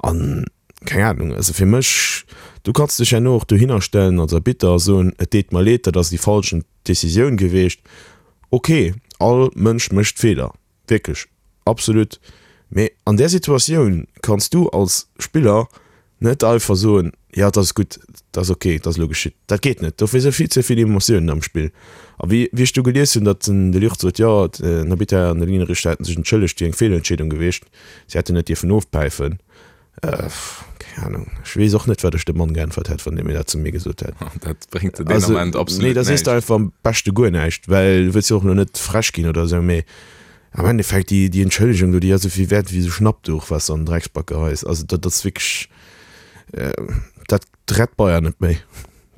an keng Ahnung, also fir mech, du kanns dech herno och dohinner stellen als Arbitter a soen, et deet mer leed, dat ass déi falschen Decisioun gewiescht, ok, all Mënsch mécht Feeler, wierklech, absolut. Mee an där Situatioun kanns du als Spiller net einfach soen, jo et ass gutt, et ass ok, et ass elo geschitt. Dat geet net, dofir si vill ze vill Emotiounen am Spill. A wéi wéi ech du gelies hunn, datt den De Ligt sot, jo den Arbitter an de Linienrichter hätte sech entschëllegt, wier eng Feelentscheedung gewiescht, si hätten net dierfen ofpäifen. Keng Ahnung, ech weess och net, wat ech dem Mann geäntwert hätt, wann dee mir dat zu mir gesot hätt. Dat bréngt der deen Ament absolut Nee, da sees näischt. de einfach am beschte guer näischt, well du wëlls jo och elo net frech ginn oder esou, mee am Endeffekt, déi, déi Entschëllegung do, déi ass esou vill wäert wéi esou Schnappduch, wat s de an den Drecksback geheis. Also dat ass wierklech, dat rett Bayern net méi.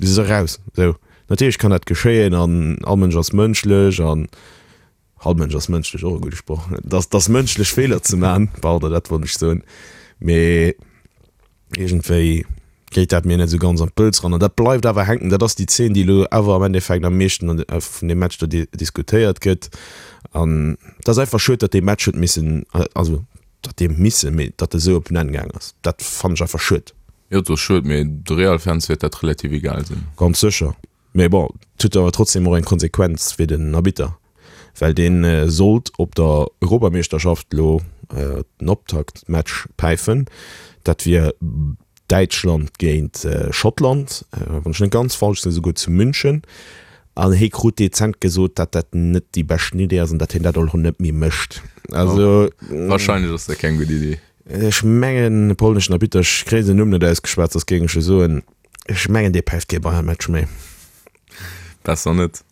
Déi si raus. Esou, natierlech kann dat geschéien an all Mënsch ass mënschlech an all Mënsch ass mënschlech, och e gudde Sproch, dass, dass mënschlech Feeler ze man, pardon, dat wollt ech soen, mee iergendwéi geet dat mir net esou ganz an d'Pëlz ran an dat bleift awer hänken. Dat ass déi Zeen, déi elo awer am Endeffekt am meeschten an vun deem Match do diskutéiert gëtt an et ass einfach schued, datt dee Match huet missen, also datt dee missen, mee datt e sou op en Enn gaang ass, dat fannen ech einfach schued. Jo, et ass schued, mee de Real-Fans wäert dat relativ egal sinn. Ganz sécher. Mee bon, et huet awer trotzdem och eng Konsequenz fir den Arbitter, well dee sollt op der Europameeschterschaft elo den Optaktmatch päifen. Dat wier Däitschland géint Schottland, wann ech net ganz falsch sinn, esouguer zu München. An hie krut dezent gesot, datt dat net déi beschten Idee ass an datt hien dat och net méi mécht. Also Wahrscheinlech ass dat keng gutt Idee. Ech mengen, e polneschen Arbitter, ech kréien den Numm net ausgeschwat, soss géing ech e soen, ech mengen, dee päift kee Bayern-Match méi. Besser net.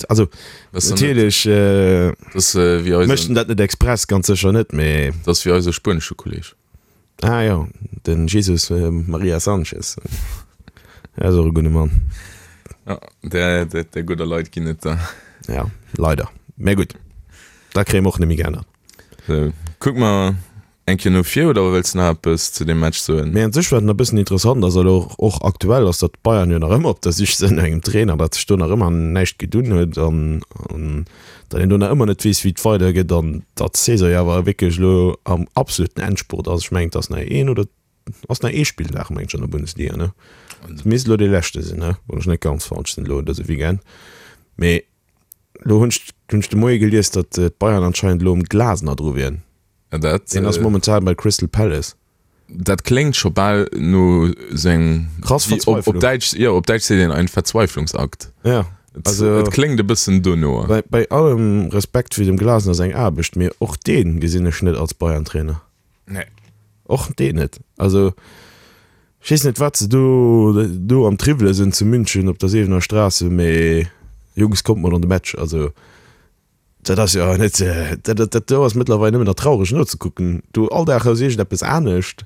Also, Besser net. natierlech äh, Das ass äh, wéi mécht eisen, en dat net express, ganz sécher net, mee. das ass wéi eise spuenesche Kolleg. Ah jo, den Jesus äh, Maria Sanchez. Dat ass och e gudde Mann. Ja, där, där, där gudder Leit ginn et der. Ja, leider. Mä gutt, dat kréie mer och net méi geännert. So, kuck mer eng Kéier no vir, oder wëlls de nach eppes zu deem Match soen? Mee an sech, wat nach e bëssen interessant ass, elo och aktuell, ass, datt d'Bayern jo nach ëmmer op der Sich sinn no engem Trainer, datt sech do nach ëmmer näischt gedunn huet an datt een do nach ëmmer net weess, wéi et weidergeet an datt d'Saison jo awer wierklech elo am absoluten Endspurt ass. Ech mengen, et ass nach een oder ass nach ee Spilldag, mengen ech, an der Bundesliga, ne? Et misst elo dee leschte sinn, ne, wann ech net ganz falsch sinn elo dëse Weekend. Mee elo hunn ech hunn ech de Moie gelies, datt d'Bayern anscheinend elo um Glasner dru wieren. Ja, dat, Deen ass äh, momentan bei Crystal Palace. Dat kléngt scho bal no sou engem, Krass wéi op, op Verzweiflung. Däitsch, jo, op Däitsch seet een ein Verzweiflungsakt. Ja, Et, also et kléngt e bëssen dono. bei, bei allem Respekt fir dem Glasner seng Aarbecht, mee och deen gesinn ech net als Bayern-Trainer. Nee. Och deen net. Also ech weess net, wat se do, do am Triwwele sinn zu München op der Säbener Straße, mee Jungs, kommt mol an de Match. Also Dat ass jo net, dat, dat, dat do ass mëttlerweil nëmmen nach traureg nozekucken. Do all Dag ass iergendeppes anescht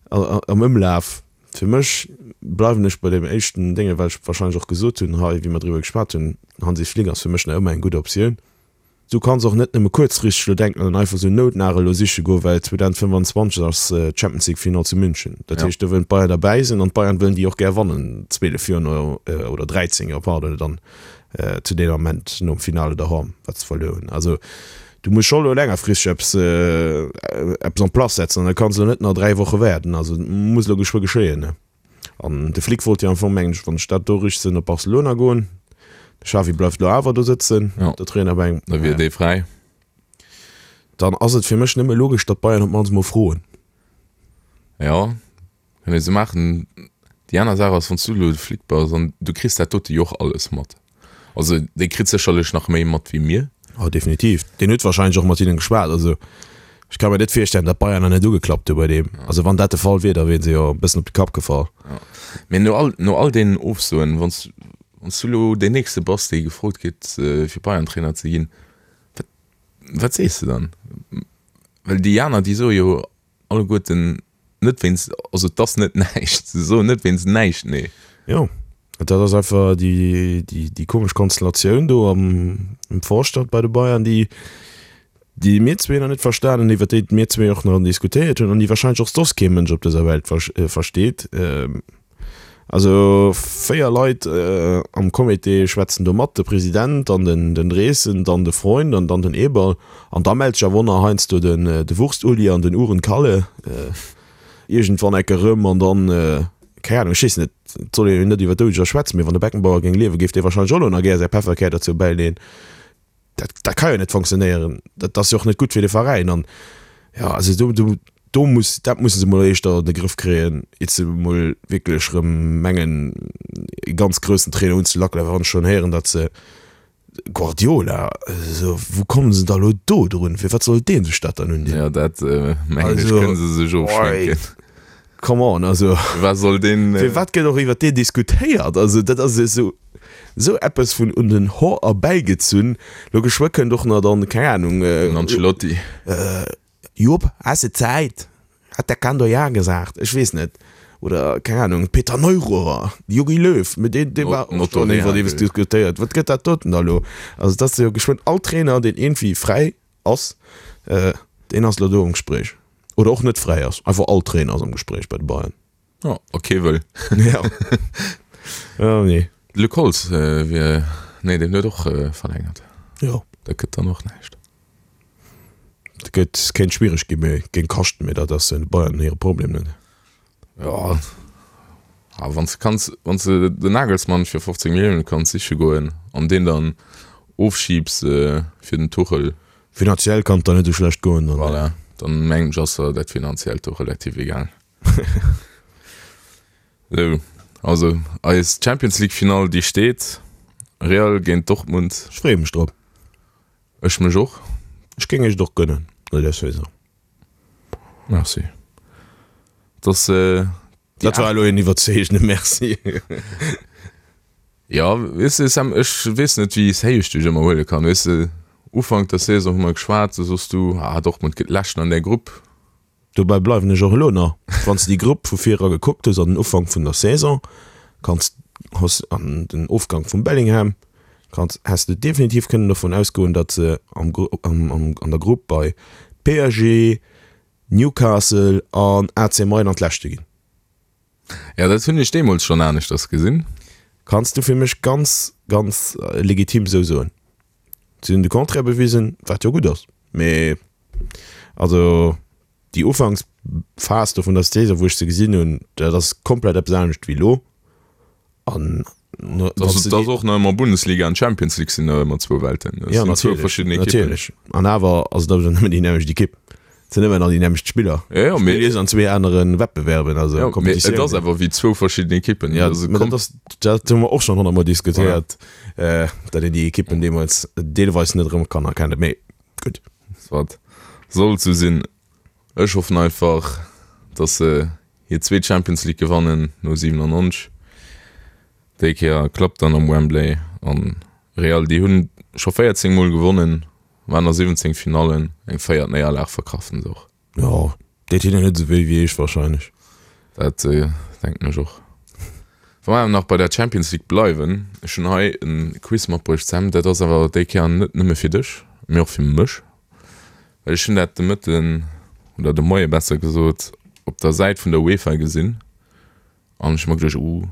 am Ëmlaf. Fir mech bleiwen ech bei deem éischten Dénge, wat ech warscheinlech och gesot hunn hei, wéi mer driwwer geschwat hunn, Hansi Flick ass fir mech nach ëmmer eng gutt Optioun. Du kanns och net nëmme kuerzfristeg elo denken an einfach esou Noutnagel elo siche goen, well zweedausendfënfanzwanzeg ass d'Champions League Final zu München. Dat heescht, do wëllen d'Bayern derbäi sinn an d'Bayern wëllen déi och gär wannen, zweelef Joer no, oder dräizéng Joer, pardon, dann zu deem Ament nom Finale doheem, wat se verluer hunn. Also du muss scho elo längerfristeg eppes, eppes en place setzen an da kanns elo net nach dräi Woche waarden. Also et muss elo geschwë geschéien. An de Flick wollt jo am Fong, mengen ech, wann ech dat do richteg sinn, op Barcelona goen. De Xavi bleift elo awer do sëtzen op der Trainerbänk. Da wier dee fräi. Dann ass et fir mech nëmme logesch, datt d'Bayern op d'mannst mol froen. Jo, kann ee sou maachen. Déi aner Saach ass, wann s du elo de Flick bass an du kriss dat dote jo och alles mat. Also dee kritt sécherlech nach méi mat wéi mir. Oh definitiv, deen huet wahrscheinlech och mat hinnen geschwat. Also ech ka mir net virstellen, datt Bayern nach net ugeklappt hu bei deem. Also wann dat de Fall wier, da wieren se jo e bëssen op de Kapp gefall. Ja. Mee no all, no all deenen Ofsoen, wann s, wann s du elo deen nächste bass, dee gefrot kritt fir Bayern-Trainer ze ginn, wat, wat sees de dann? Well déi aner, déi soe jo alleguerten, Net wéinst, also et ass net näischt, se soen net wéinst näischt nee. Jo, dat ass einfach déi, déi, déi komesch Konstellatioun do am, am Vorstand bei de Bayern, déi, déi mir zwee nach net verstanen hunn, iwwer déi mir zwee och nach diskutéiert hunn an déi wahrscheinlech och soss kee Mënsch op dëser Welt versteet. Also véier Leit am Comité schwätzen do mat, de President, dann den den Dreesen, dann de Freund an dann den Eberl. An da mellt sech awer och nach heiansdo den de Wurst-Uli an den Uhren-Kalle iergendwann ecke rëm. An dann, keng Ahnung, ech weess net, et soll een jo net iwwer Doudeger schwätzen, mee wann de Beckenbauer géing liewen, géif dee wahrscheinlech och elo nach gär säi Pefferkär derzou bäileeën. Dat dat ka jo net fonctionnéieren. Dat ass jo och net gutt fir de Veräin. An jo, also do do Do muss, dat musse se mol éischter an de Grëff kréien, iert se mol wierklech erëm mengen, e ganz groussen Trainer unzelackelen. Well wann ech schonn héieren, datt se Guardiola, esou, wou komme se da lo do drun? Fir wat soll dee sech dat dann undinn? Jo, dat mengen ech, kënne se sech ofschminken. Come on, also. Wat soll deen. Firwat gëtt och iwwer deen diskutéiert? Also dat ass esou, esou eppes vun un den Hoer erbäigezunn. Lo geschwë kënnt och nach dann, keng Ahnung. Den Ancelotti. Jupp, has de Zäit? Hat der Kando ja gesagt? Ech weess net. Oder, keng Ahnung, Peter Neururer, Jogi Löw, mee deen, dee war och schonn iwwerdeems diskutéiert. Wat gëtt dat doten da lo? Also et ass jo geschwënn all Trainer, deen iergendwéi fräi ass, deen ass lo do am Gespréich. Oder och net fräi ass, einfach all Trainer ass am Gespréich bei de Bayern. Jo, a kee wëll. Ja. Jo, nee. De Luc Holtz wier, nee, deen huet och verlängert. Jo. Dat gëtt dann och näischt. Et gëtt, kéint schwiereg ginn, mee géint kaschten, mee dat ass de Bayern hire Problem net. Jo, awer wann s de kanns, wann s de den Nagelsmann fir fofzéng Millioune kanns siche goen an deen dann ofschiibs fir den Tuchel. Finanziell kann et dann net esou schlecht goen dann. Voilà, dann mengen ech ass der dat Finanziellt och relativ egal. Esou, also eis Champions League Finall déi steet, Real géint Dortmund. Ech freeë mech drop. Ech mech och. Ech géing iech et och gönnen no där Saison. Merci. Et ass déi Dat war elo een iwwerzeegende Merci. Jo, weess de Sam, ech weess net wéi séi ech dech ëmmer huele kann. Weess de, Ufank der Saison hu mer geschwat, du soss du, ah Dortmund gëtt Leschten an där Grupp. Dobäi bleiwen ech och elo nach. Wann s de déi Grupp vu vir era gekuckt hues an den Ufank vun der Saison, kanns hues an den Ofgang vum Bellingham, kanns häss de definitiv kënnen dovun ausgoen, datt se am am an der Grupp bei P S G, Newcastle an A C Mailand Leschte ginn. Jo, dat hunn ech deemools schonn aneschters gesinn. Kanns du fir mech ganz, ganz legitim esou soen. Si hunn de Contraire bewisen, wat jo gutt ass. Mee also déi Ufanksphas do vun der Saison, wou ech se gesinn hunn, dat ass komplett eppes anescht wéi elo. An Dat ass och nach ëmmer Bundesliga an Champions League sinn nach ëmmer zwou Welten. Dat Ja, sinn zwou natierlech, verschidden Ekippen. natierlech. An awer ass et awer nëmmen déi nämmlecht Ekipp. Et sinn ëmmer nach déi nämmlecht Spiller. Ja, ja, mee, Spillt an zwee anere Wettbewerben, also ja, mee et Kompetitiounen. ass awer wéi zwou verschidden Ekippen. Ja, Also mä dat kom ass, dat hu mer och schonn honnertmol voilà. diskutéiert, datt een déi Ekippen deemools deelweis net erëm kann erkennen. Mee gutt. Soit. Soll sou sinn. Ech hoffen einfach, dass se hir zweet Champions League gewannen no siwenannonzeg. Déi Kéier klappt dann am Wembley. An Real, déi hunn scho véierzéng Mol gewonnen, waren a siwwenzéng Finallen. Eng véiert Néierlag verkraften se och. Jo, deet hinnen net esou wéi wéi iech wahrscheinlech. Dat denken ech och. Wa mer awer nach bei der Champions League bleiwen, ech hunn hei e Quiz matbruecht, Sam, dat ass awer déi Kéier net nëmme fir dech. mee och fir mech, well ech hunn dat de Mëtten, oder de Moie besser gesot, op der Säit vun der UEFA gesinn an ech hu mer geduecht,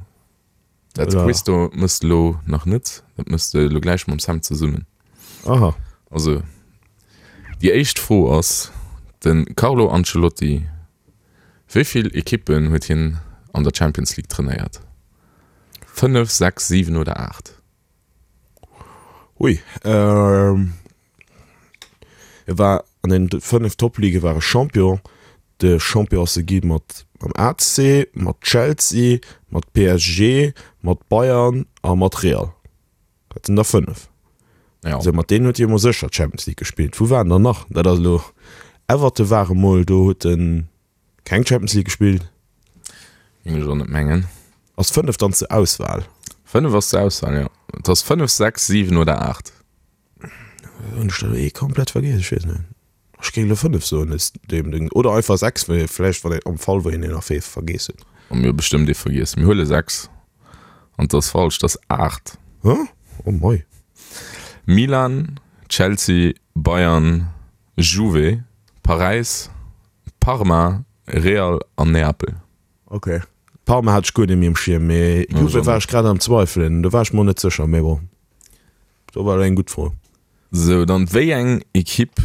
Uh, dat Quiz do mëss de elo nach net, dat mëss de elo gläich mam Sam zesummen. Aha. Also, déi éischt Fro ass, De Carlo Ancelotti, wéi vill Ekippen huet hien an der Champions League trainéiert? Fënnef, sechs, siwen oder aacht? Ui, e war an den fënnef Top-Ligue war e Champion. De Champion ass e gi mat mam A C, mat Chelsea, mat P S G, mat Bayern a mat Real. Dat sinn der fënnef. Ja. Also mat deenen huet hie emol sécher d'Champions League gespillt. Wou waren der nach? Dat ass elo, Everton war emol do, huet en keng Champions League gespillt. Géing ech och net mengen. Ass fënnef dann zur Auswahl? Fënnef ass zur Auswahl, jo. Et ass fënnef, sechs, siwen oder aacht. Hunn ech der elo ee komplett vergiess? Ech weess net. Ech géing elo fënnef soen aus deem Ding. Oder einfach sechs, well vläicht wann een am Fall wou een een nach ee vergiess huet. Oh, mir hu bestëmmt ee vergiess. Mir huele sechs. An 't ass falsch, 't ass aacht. Hä? Oh mei. Milan, Chelsea, Bayern, Juve, Paräis, Parma, Real an Neapel. Ok. Parma hat ech guer net méi um Schierm, mee Juve war ech grad am Zweifelen, do war ech mer och net sécher, mee bon, do war elo eng gutt Fro. Sou, dann wéi eng Ekipp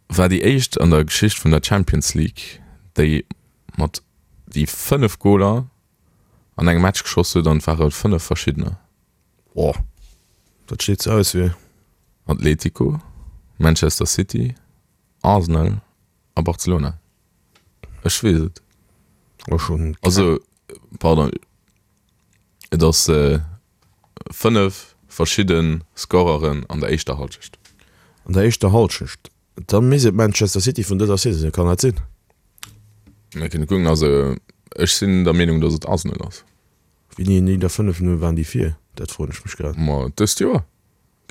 war déi éischt an der Geschicht vun der Champions League, déi mat déi fënnef Goler an engem Match geschoss huet an et ware fënnef verschiddener? Boah, dat steet zur Auswiel. Atletico, Manchester City, Arsenal a Barcelona. Ech weess et. Ech hunn. Also, pardon, et ass fënnef verschidde Scoreren an der éischter Hallschecht. An der éischter Hallschecht? Da misst et Manchester City vun dëser Saison sinn, kann dat sinn? Mir kënne kucken. Also ech sinn der Meenung, datt et Arsenal ass. Wéini hunn déi da fënnef Null waren déi vir? Dat froen ech mech grad. Ma dëst Joer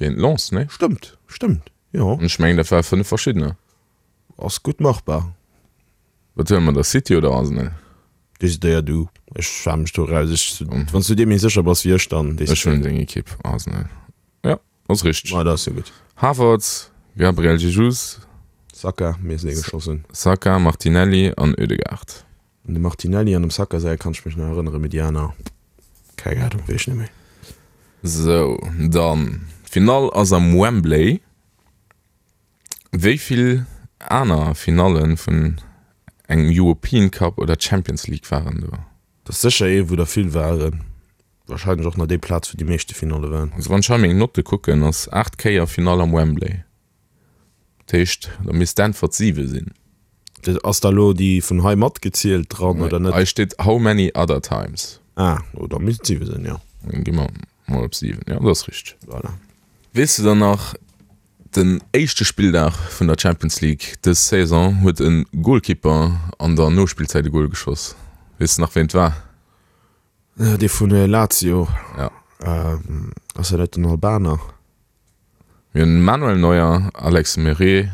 géint Lens, nee? Stëmmt, stëmmt, jo. An ech mengen, dat ware fënnef verschiddener. Ass gutt machbar. Wat huele mer da, City oder Arsenal? Decidéier du. Ech hale mech do eraus. Ech, wann s du dir méi sécher bass wéi ech, dann Ech decidéier huelen du. deng Ekipp, Arsenal. Jo, ass richteg. Ma dat ass jo gutt. Havertz, Gabriel Jesus. Saka, mir sinn ee geschoss hunn. Saka, Martinelli an Ødegaard. Un de Martinelli an dem Saka säi kann ech mech nach erënneren, mee déi aner, keng Ahnung, weess ech net méi. Sou, dann, d'Finall ass am Wembley. Wéi vill aner Finalle vun engem European Cup oder Champions League waren do? Dat ass sécher ee wou der vill waren. Wahrscheinlech och nach déi Plaz wou déi meeschte Finalle waren. Also wann ech hei meng Notte kucken, ass aacht Kéier Finall am Wembley. Dat heescht, da misst d'Äntwert siwe sinn. Dat ass da lo déi vun hei matgezielt dran oder net? Hei steet how many other times. Ah, oh da misst et siwe sinn, jo. Dann gi mer mol op siwen, jo dat ass richteg. Voilà. Weess de dann nach, den éischte Spilldag vun der Champions League dës Saison huet e Golkipper an der Nospillzäit e Gol geschoss. Weess de nach ween et war? Dee vun Lazio. Ja. Ass dat net den Albaner? Mir hunn Manuel Neuer, Alex Meret,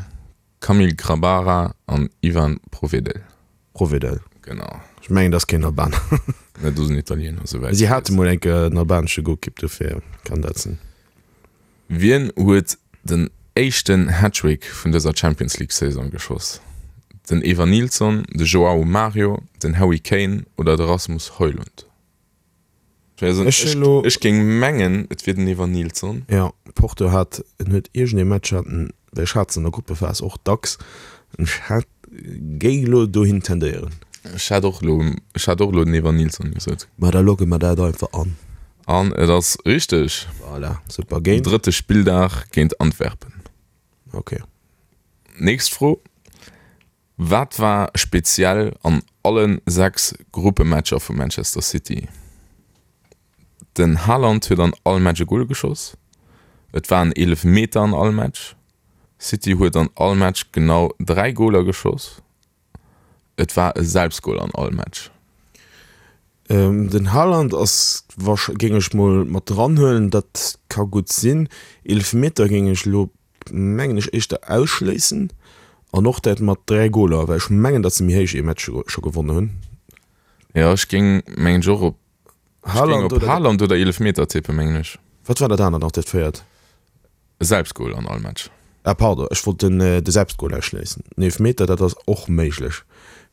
Kamil Grabara an Ivan Provedel. Provedel. Genau. Ech mengen, dat ass keen Albaner. Nee, dat ass en Italiener, esouwäit Si ech hate weess. mol eng Kéier en albanesche Golkipp, dofir kann dat sinn. Wien huet den éischten Hattrick vun dëser Champions League Saison geschoss? Den Evanilson, de Joao Mario, den Harry Kane oder de Rasmus Højlund? Ech hunn elo. Ech géing mengen, et wier den Evanilson. Jo, Porto hat, en huet iergendee Match hat en, well ech hat se an der Gruppephas och dacks, ech hat, géing elo dohin tendéieren. Ech hat och elo, ech hat och elo den Evanilson gesot. Ma da logge mer dat einfach an. An et ass richteg. Voilà, super, géint? Drëtte Spilldag géint Antwerpen. Ok. Nächst Fro, Wat war speziell an allen sechs Gruppematcher vu Manchester City? Den Haaland huet an all Match e Gol geschoss, et war en Eelefmeter an all Match, City huet an all Match genau dräi Goler geschoss, et war e Selbstgol an all Match. Den Haaland ass warsch, géing ech mol mat dran huelen, dat ka gutt sinn. Eelefmeter géing ech elo mengen ech éischter ausschléissen an och dat mat dräi Goler, well ech mengen, datt se méi héich ee Match scho gewonnen hunn. Jo, ech géing mengen ech och op, ech géing Haaland op oder Haaland oder Eelefmeter tippen, mengen ech. Wat war dat anert nach, dat véiert? E Selbstgol an all Match. Ah pardon, ech wollt den de Selbstgol ausschléissen. Den Eelefmeter, dat ass och méiglech,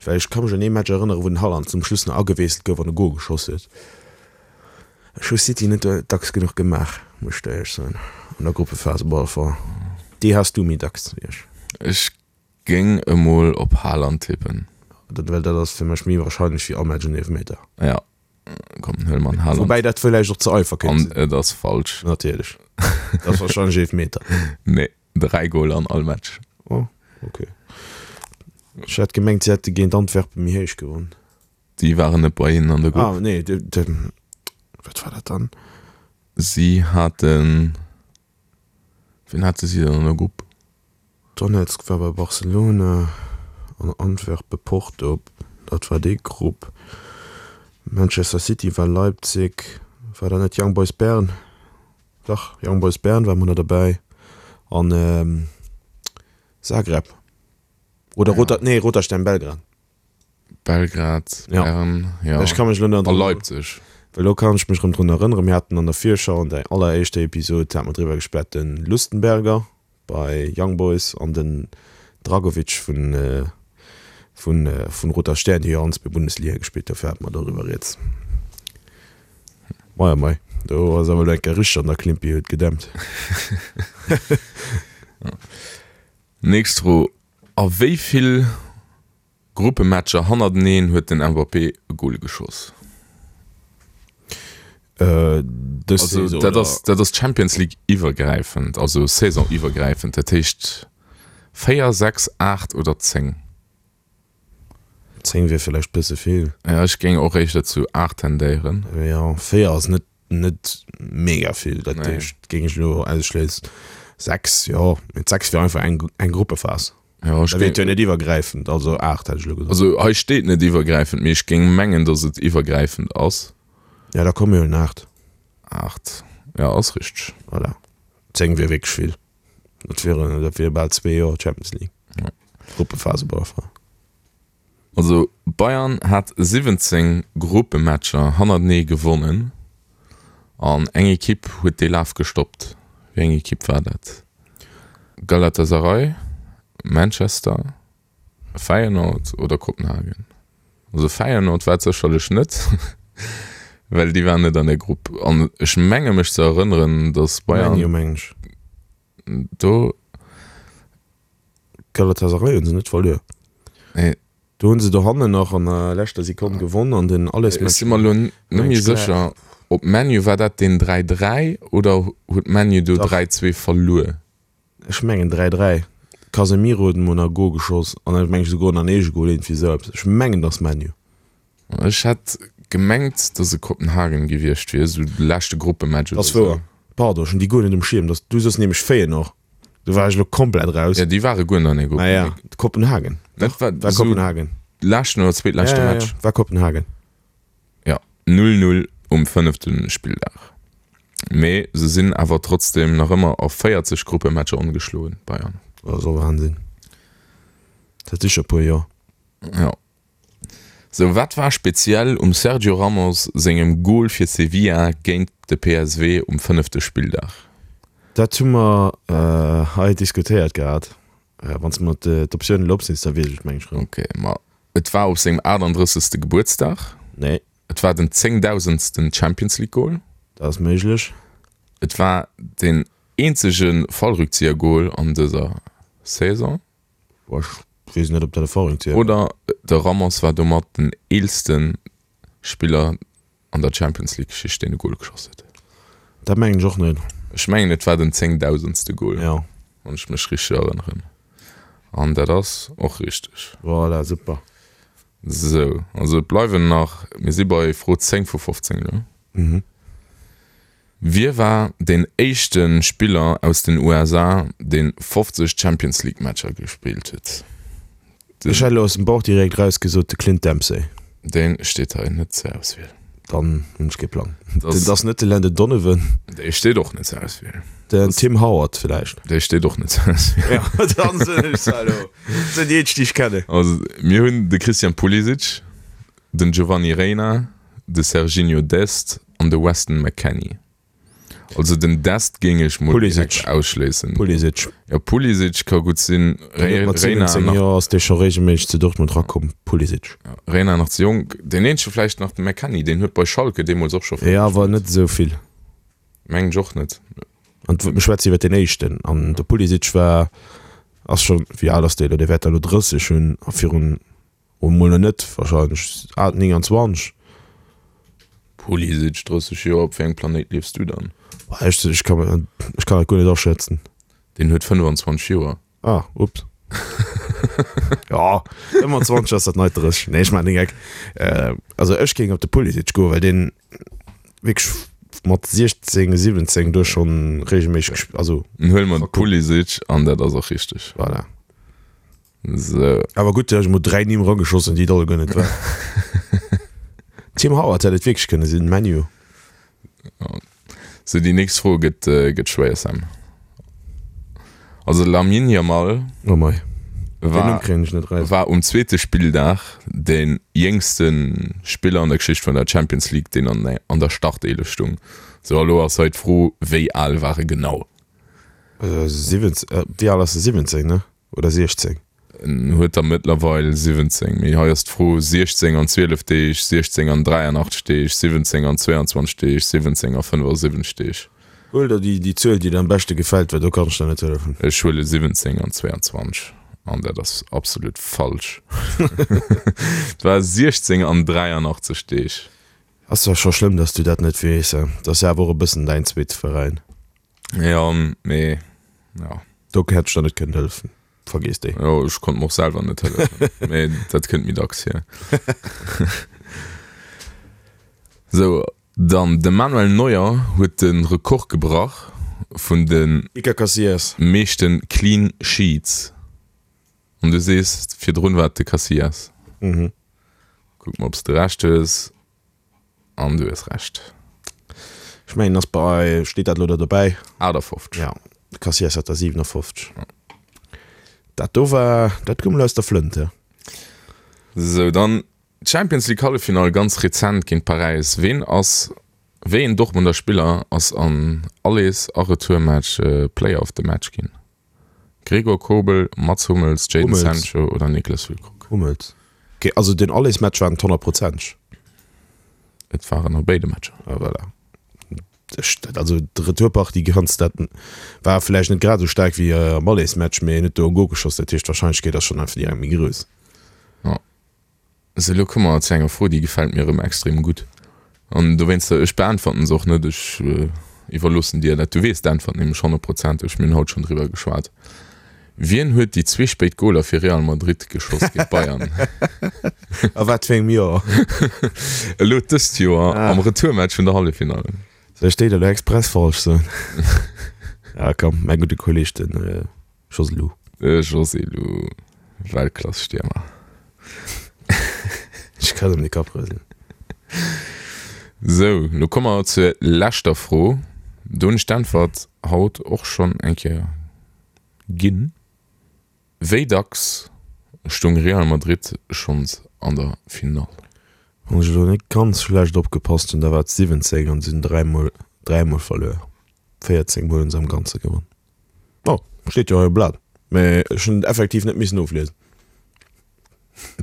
well ech ka mech un ee Match erënneren, wou den Haaland zum Schluss nach agewiesselt gouf an e Gol geschoss huet. Ech hu City net dacks genuch gemaach, muss ech der éierlech soen, an der Gruppephase. Bon, enfin, déi has du méi dacks wéi ech. Ech géing emol op Haaland tippen. Dat, well dat ass fir mech méi wahrscheinlech wéi all Match en Eelefmeter. Ja, komm, huele mer den Haaland. Woubäi dat villäicht och ze einfach kéint An sinn. et ass falsch. Natierlech. Dat ass wahrscheinlech Eelefmeter. Nee, dräi Goler an all Match. Oh, okay. Ech hat gemengt, si hätte géint Antwerpen méi héich gewonn. Déi waren net bei hinnen an der Grupp. Ah, nee, de, de, wat war dat dann? Si haten, wien hate si dann an der Grupp? Donetsk war bei Barcelona an Antwerpen, Porto, dat war déi Grupp. Manchester City war Leipzig, war dat net Young Boys Bern? Dach, Young Boys Bern war emol derbäi an Zagreb oder Roter, nee, Roter Stern Belgrad. Belgrad, Ja. Bern, ja. Ech ka mech elo net A drun, Leipzig. well elo kann ech mech erëm drun erënneren, mir haten an der Virschau, an der alleréischter Episod, hate mer driwwer geschwat, de Lustenberger bei Young Boys an den Dragovic vun vun vun Roter Stern, déi jo allen zwee Bundesliga gespillt, dofir hate mer doriwwer rieds. Mei oh mei, do ass awer elo eng Kéier richteg an der Klimpi huet gedämpt. Nächst Fro, A wéi vill Gruppematcher hannerteneen huet den Mbappé e Gol geschoss? Dës Also Saison dat oder? ass dat ass Champions League iwwergräifend, also Saison iwwergräifend, dat heescht véier, sechs, aacht oder zéng. Zéng wier villäicht bësse vill. Ja, ech géing och éischter zu aacht tendéieren. Jo, véier ass net net mega vill, dat Nee. heescht géing ech elo ausschléissen. Sechs, jo, mee sechs wier einfach eng eng Gruppephas. Ja, ech Da wier et géing, jo net iwwergräifend, also aacht hätt ech elo gesot. also hei steet net iwwergräifend, mee ech géing mengen, datt et iwwergräifend ass. Ja, da komm mir huelen aacht. Aacht, ja, ass richteg. Voilà. Zéng wier wierklech vill. Dat wieren, dat wier bal zwee Joer Champions League. Ja. Gruppephase op alle Fall. Also Bayern hat siwwenzéng Gruppematcher hannertenee gewonnen an eng Ekipp huet dee Laf gestoppt. Wéi eng Ekipp war dat? Galatasaray, Manchester, Feyenoord oder Kopenhagen? Also Feyenoord war et sécherlech net, well déi waren net an der Grupp. An ech menge mech ze erënneren, datt Bayern Man U mengen ech. do Galatasaray hunn se net verluer. Nee. Do hunn se dohannen nach an der leschter Sekonn gewonn an den Ech Allesmatch. si mer elo net méi sécher, ob ManU war dat deen dräi dräi oder huet ManU do Dach. dräi zwee verluer? Ech mengen dräi dräi. Casemiro huet emol nach e Gol geschoss an ech mengen souguer nach en Eegegol, iergendwéi esou eppes. Ech mengen, dass ManU. Ech hätt gemengt, dass et Kopenhagen gewiescht wier, esou de leschte Gruppematch Dat oder ass esou. wouer. Pardon, ech hunn déi guer net um Schierm. Dass du soss nämlech Feyenoord. Do war ech elo komplett raus. Ja, déi ware guer net an der Grupp. Ah ja, Kopenhagen. Dat war War esou Kopenhagen. leschten oder zweetleschte Ja, ja, Match. ja, war Kopenhagen. Ja, null null um fënnefte Spilldag. Mee se sinn awer trotzdeem nach ëmmer a véierzeg Gruppematcher ongeschloen, Bayern. Dat ass och Wahnsinn. Dat si scho puer Joer. Ja. Sou, wat war speziell um Sergio Ramos sengem Gol fir Sevilla géint de P S V um fënnefte Spilldag? Dat hu mer hei diskutéiert gehat. Wann s de mer d'Optiounen elo opsees, da weess ech et meng ech rëm. Ok, ma et war op sengem aachtanddrëssegste Gebuertsdag. Nee. Et war den zéngdausendsten Champions League Gol. Dat ass méiglech. Et war den eenzege Fallrückzieher-Gol an dëser Saison. Boah, ech weess net, ob dat e Fallrückzieher war. Oder de Ramos war domat den eelste Spiller an der Champions League Geschicht, deen e Gol geschoss huet. Dat mengen ech och net. Ech mengen, et war den zéngdausendste Gol, Ja. wann ech mech richteg erënneren. An dat ass och richteg. Voilà, super. Sou, also et bleiwen nach, mir si bei Fro zéng vu fofzéng elo. Mhm. Wie war deen éischte Spiller aus den U S A, deen fofzeg Champions League Matcher gespillt huet? Den, Ech hätt elo aus dem Bauch direkt raus gesot, de Clint Dempsey. Deen steet hei net zur Auswiel. Dann hunn ech kee Plang. Das, Den ass net de Landon Donovan. Dee steet och net zur Auswiel. Den Das, Tim Howard villäicht. Dee steet och net zur Auswiel. Ja, dann sinn ech elo. Sinn déi eenzeg, déi ech kennen. Also, mir hunn de Christian Pulisic, den Giovanni Reyna, de Serginho Dest an de Weston McKennie. Also den Dest géing ech mol Pulisic. direkt ausschléissen. Pulisic. Ja, Pulisic ka gutt sinn. Deen huet mat Reyna siwwenzéng nach, Joer ass dee scho reegelméisseg zu Dortmund rakomm. Pulisic. Reyna nach ze jonk. Deen eenzege vläicht nach de McKennie, deen huet bei Schalke deemools och scho Ja, awer net esou vill. Mengen ech och net. An mir schwätzen iwwer deen éischten. An de Pulisic war, ass scho, wéi al ass dee elo? Dee wäert da elo drësseg hunn a virun, oh mol nach net wahrscheinlech, al nénganzwanzeg. Pulisic, drësseg Joer, op wéi engem Planéit liefs du dann? Boah, ech, ech kann, ech kann dat guer net aschätzen. Deen huet fënnwanzwanzeg Joer. Ah, ups. Ja, fënnwanzwanzeg ass dat neit drësseg. Nee, ech maachen den Geck. Äh, also ech géing op de Pulisic goen, well deen wierklech mat siechzéng, siwwenzéng do schonn regelméisseg gesp-, also. Dann huele mer de Pulisic an dat ass och richteg. Voilà. Sou. Awer gutt, ech hu mol dräi Nimm erageschossen, déi et alleguer net waren. Tim Howard hätt et wierklech kënne sinn, ManU. Sou, déi nächst Fro gëtt, gëtt schwéier, Sam. Also Lamine Yamal Oh mei. Den war, Numm kréien ech net raus. war um zweete Spilldag de jéngste Spiller an der Geschicht vun der Champions League, deen an, an der Starteelef stung. Sou, a lo ass hei d'Fro, wéi al war e genau? Äh, siwwenzéng, äh, wéi al ass e? siwwenzéng, ne? Oder siechzéng? En huet der mëttlerweil siwwenzéng, mee hei ass d'Fro, siechzéng an zwielef Deeg, siechzéng an dräianachtzeg Deeg, siwwenzéng an zweeanzwanzeg Deeg, siwwenzéng a fënnefasiwwenzeg Deeg. Huel der déi, déi Zuel, déi der am beschte gefält, well do kann ech der net hëllefen. Ech huele siwwenzéng an zweeanzwanzeg an dat ass absolut falsch. Et war siechzéng an dräianachtzeg Deeg. Ass zwar scho schlëmm, dass du dat net weess, dat ass jo awer och e bëssen däin zweete Veräin. Jo, mee jo. Do hätt ech der net kënnen hëllefen. Vergiss déi. Jo, ech konnt mer och selwer net hëllefen, mee dat kënnt méi dacks vir. Sou, dann de Manuel Neuer huet de Rekord gebrach vun de Iker Casillas. meeschte Clean Sheets. An du sees, virdrun war et de Casillas. Mhm. Kucke mer, ob s de Recht hues. An du hues Recht. Ech mengen, ass bei, steet dat elo do dobäi? achtafofzeg. Ja, de Casillas hat der siwenafofzeg. Dat do war, dat koum elo aus der Flënt, he? Sou, dann d'Champions League Halleffinall ganz rezent géint Paräis. Ween ass, wéi een Dortmunder Spiller ass an Allers a Retourmatch Player of the Match ginn? Gregor Kobel, Mats Hummels, Jadon Hummels. Sancho oder Niklas Füllkrug? Hummels. Okay, also den Allers-Match war en honnertprozenteg. Et waren a béide Matcher. Ah, voilà. Ech, dat, also d'Retourpartie ganz, dat war vläicht net grad esou staark wéi am Allers-Match, mee en huet do e Gol geschoss, dat heescht d'Warscheinlechkeet ass schonn einfach direkt méi grouss. Ja. Sou, elo komme mer zu enger Fro, déi gefält mir erëm extrem gutt. An dowéinster, ech beäntwerten se och net, ech iwwerloossen dir dat. Du weess d'Äntwert nämlech honnertprozenteg, mir hunn haut schonn driwwer geschwat. Wien huet déi zwee spéit Goler fir Real Madrid geschoss géint Bayern? A wat fir engem Joer? Elo dëst Joer am Retourmatch vun der Halleffinall. Soll ech déi da elo express falsch soen? Ja komm, mäi gudde Kolleeg, de Joselu. De Joselu, Weltklass-Stiermer. Ech kann em de Kapp rëselen. Sou, lo komme mer zur leschter Fro. Do hunn ech d'Äntwert haut och schonn eng Kéier ginn. Wéi dacks stoung Real Madrid schonns an der Finall? Wann ech elo net ganz schlecht opgepasst hunn, da war et siwwenzéng an se hunn dräimol, dräimol verluer. Véierzéng mol hunn se am Ganze gewonn. Oh, steet jo hei um Blat, mä ech hunn et effektiv net missen ofliesen.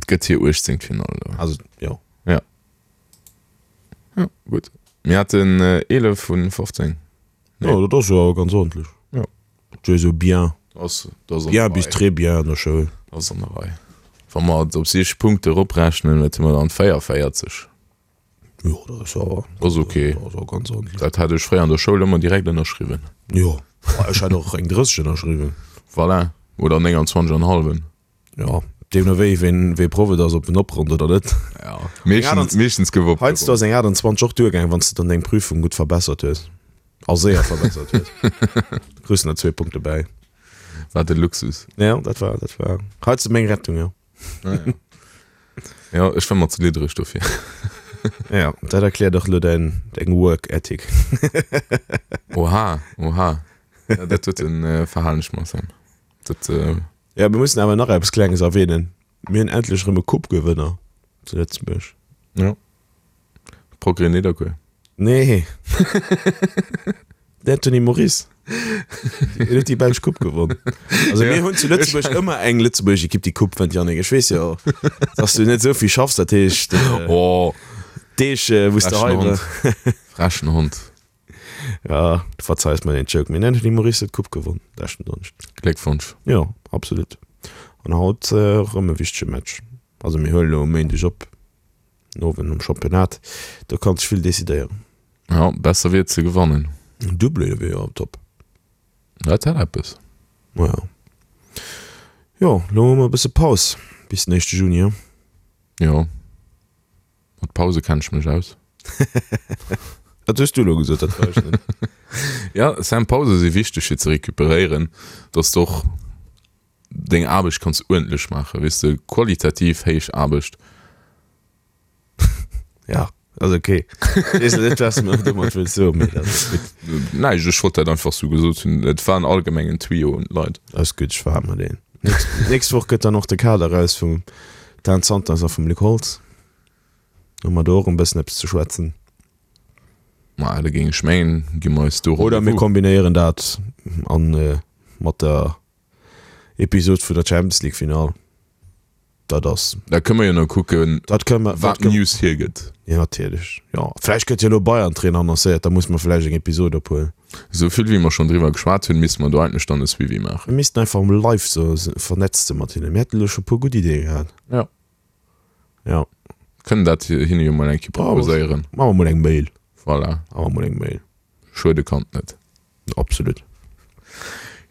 Et gëtt hir uechtzéngt Finall elo. Also, jo. Ja. Ja, gutt. Mir haten eelef vun fofzéng. Nee. Jo, dat ass jo awer ganz ordentlech. Jo. Dat ass jo bien. Ass, dat ass an der Bien bis Rei. très bien an der Schoul. Dat ass an der Rei. Wa mer et op siech Punkte eroprechnen, wat hu mer dann? véierunvéierzeg. Jo, dat ass awer. Ass ok. Dat ass awer ganz ordentlech. Dat hätt ech fréier an der Schoul ëmmer direkt ënnerschriwwen. Jo, ech hätt och eng drësseg ënnerschriwwen. Voilà. Oder nénganzwanzeg an e hallwen. Jo, deemno wéi, ween, wee Proff et ass, ob en opronnt oder net. Ja, meeschtens, meeschtens gouf opgeronnt. Heiansdo ass eng aachtundzwanzeg och duergaangen, wann s de dann deng Prüfung gutt verbessert hues. A séier verbessert hues. Da kriss de nach zwee Punkte bäi. Wat e Luxus. Ja, dat war, dat war heiansdo meng Rettung, jo. Ah, ja. Ja, ech war mer ze liddereg dofir. Ja, dat erkläert och elo däin, deng Work Ethic. Oha, oha. Ja, dat huet en äh, verhalen ech mer, Sam. Dat, äh, Ja, mir mussen awer nach eppes Klenges erwähnen. Mir hunn endlech erëm e Coupe-Gewënner zu Lëtzebuerg. Ja. Progrès Nidderkuer. Nee. Den Anthony Moris. Deen huet déi belsch Coupe gewonn. Also mir hunn zu Lëtzebuerg ëmmer eng lëtzebuergesch Ekipp déi Coupe wënnt, Yannick. Ech weess jo, dass du net esou vill schaffs, dat heescht Oh, Deeg wou s de hei frechen Hond. Frechen Hond. Ja, du verzeis mer den Joke. Mee den Anthony Moris huet d'Coupe gewonn leschten Donneschden. Gléckwonsch. Jo, absolut. An haut erëm e wichtege Match. Also mir huelen elo um Méindeg op, den Owend nom Championnat. Do kann sech vill decidéieren. Ja, besser wier et ze gewannen. En Doublé wier jo top. Dat hätt eppes. Maja. Jo, lo hu mer e bësse Paus bis den éischte Juni, he? Jo. Mat Pause kenn ech mech aus. Dat hues du elo gesot, dat war ech net. Ja, Sam, Pause si wichteg fir ze recuperéieren, dass de och deng Aarbecht kanns uerdentlech maachen, weess de, qualitativ héich Aarbecht. Ja, ass ok. Ech weess net, wat s de domat wëlls soen, mee dat ass gutt. Näischt, ech wollt dat einfach sou gesot hunn. Et war en allgemengen Tuyau un d'Leit. Ass gutt, ech verhale mer deen. Nächst Woch gëtt dann och de Kader eraus vum Dan Santos a vum Luc Holtz. Hu mer do och en bëssen eppes ze schwätzen. Ma da géing ech mengen, gi mer eis do Oder mir Rendez-vous. kombinéieren dat an mat der Episod vun der Champions League Finall. Dat ass. Da kënne mer jo nach kucken, Dat kënne mer, wat dat kënne. d'News hiergëtt. Jo, natierlech. Jo, vläicht gëtt jo elo Bayern-Trainer annoncéiert, da musse mer vläicht eng Episod ophuelen. Esou vill wéi mer schonn driwwer geschwat hunn, misste mer do eigentlech dann e Suivi maachen. Mir missten einfach emol live sou vernetzt si mat hinnen. Mir hätten elo scho e puer gutt Ideeë gehat. Jo. Jo. Kënnen dat hinne jo mol eng Kéier proposéieren. Maache mer mol eng Mail. Voilà. Maache mer mol eng Mail. Schuede kann et net. Absolut.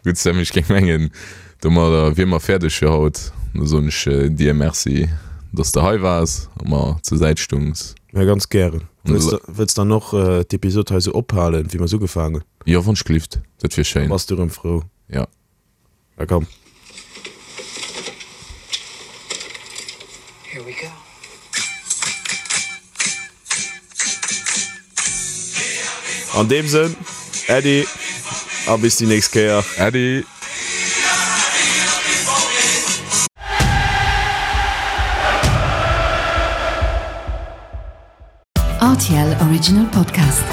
Gutt Sam, ech géing mengen, domadder wier mer fäerdeg fir haut. Da soen ech dir Merci, dass de hei waars a mer zur Säit stungs. Ja, ganz gären. Wëlls de, wëlls dann och d'Episod hei sou ophalen, wéi mer se ugefaangen hunn? Jo, wann ech gelift, dat wier schéin. Bass du erëm frou? Ja. Da komm. Here we go. An deem Sënn, Äddi a bis déi nächst Kéier. Äddi! R T L Original Podcast.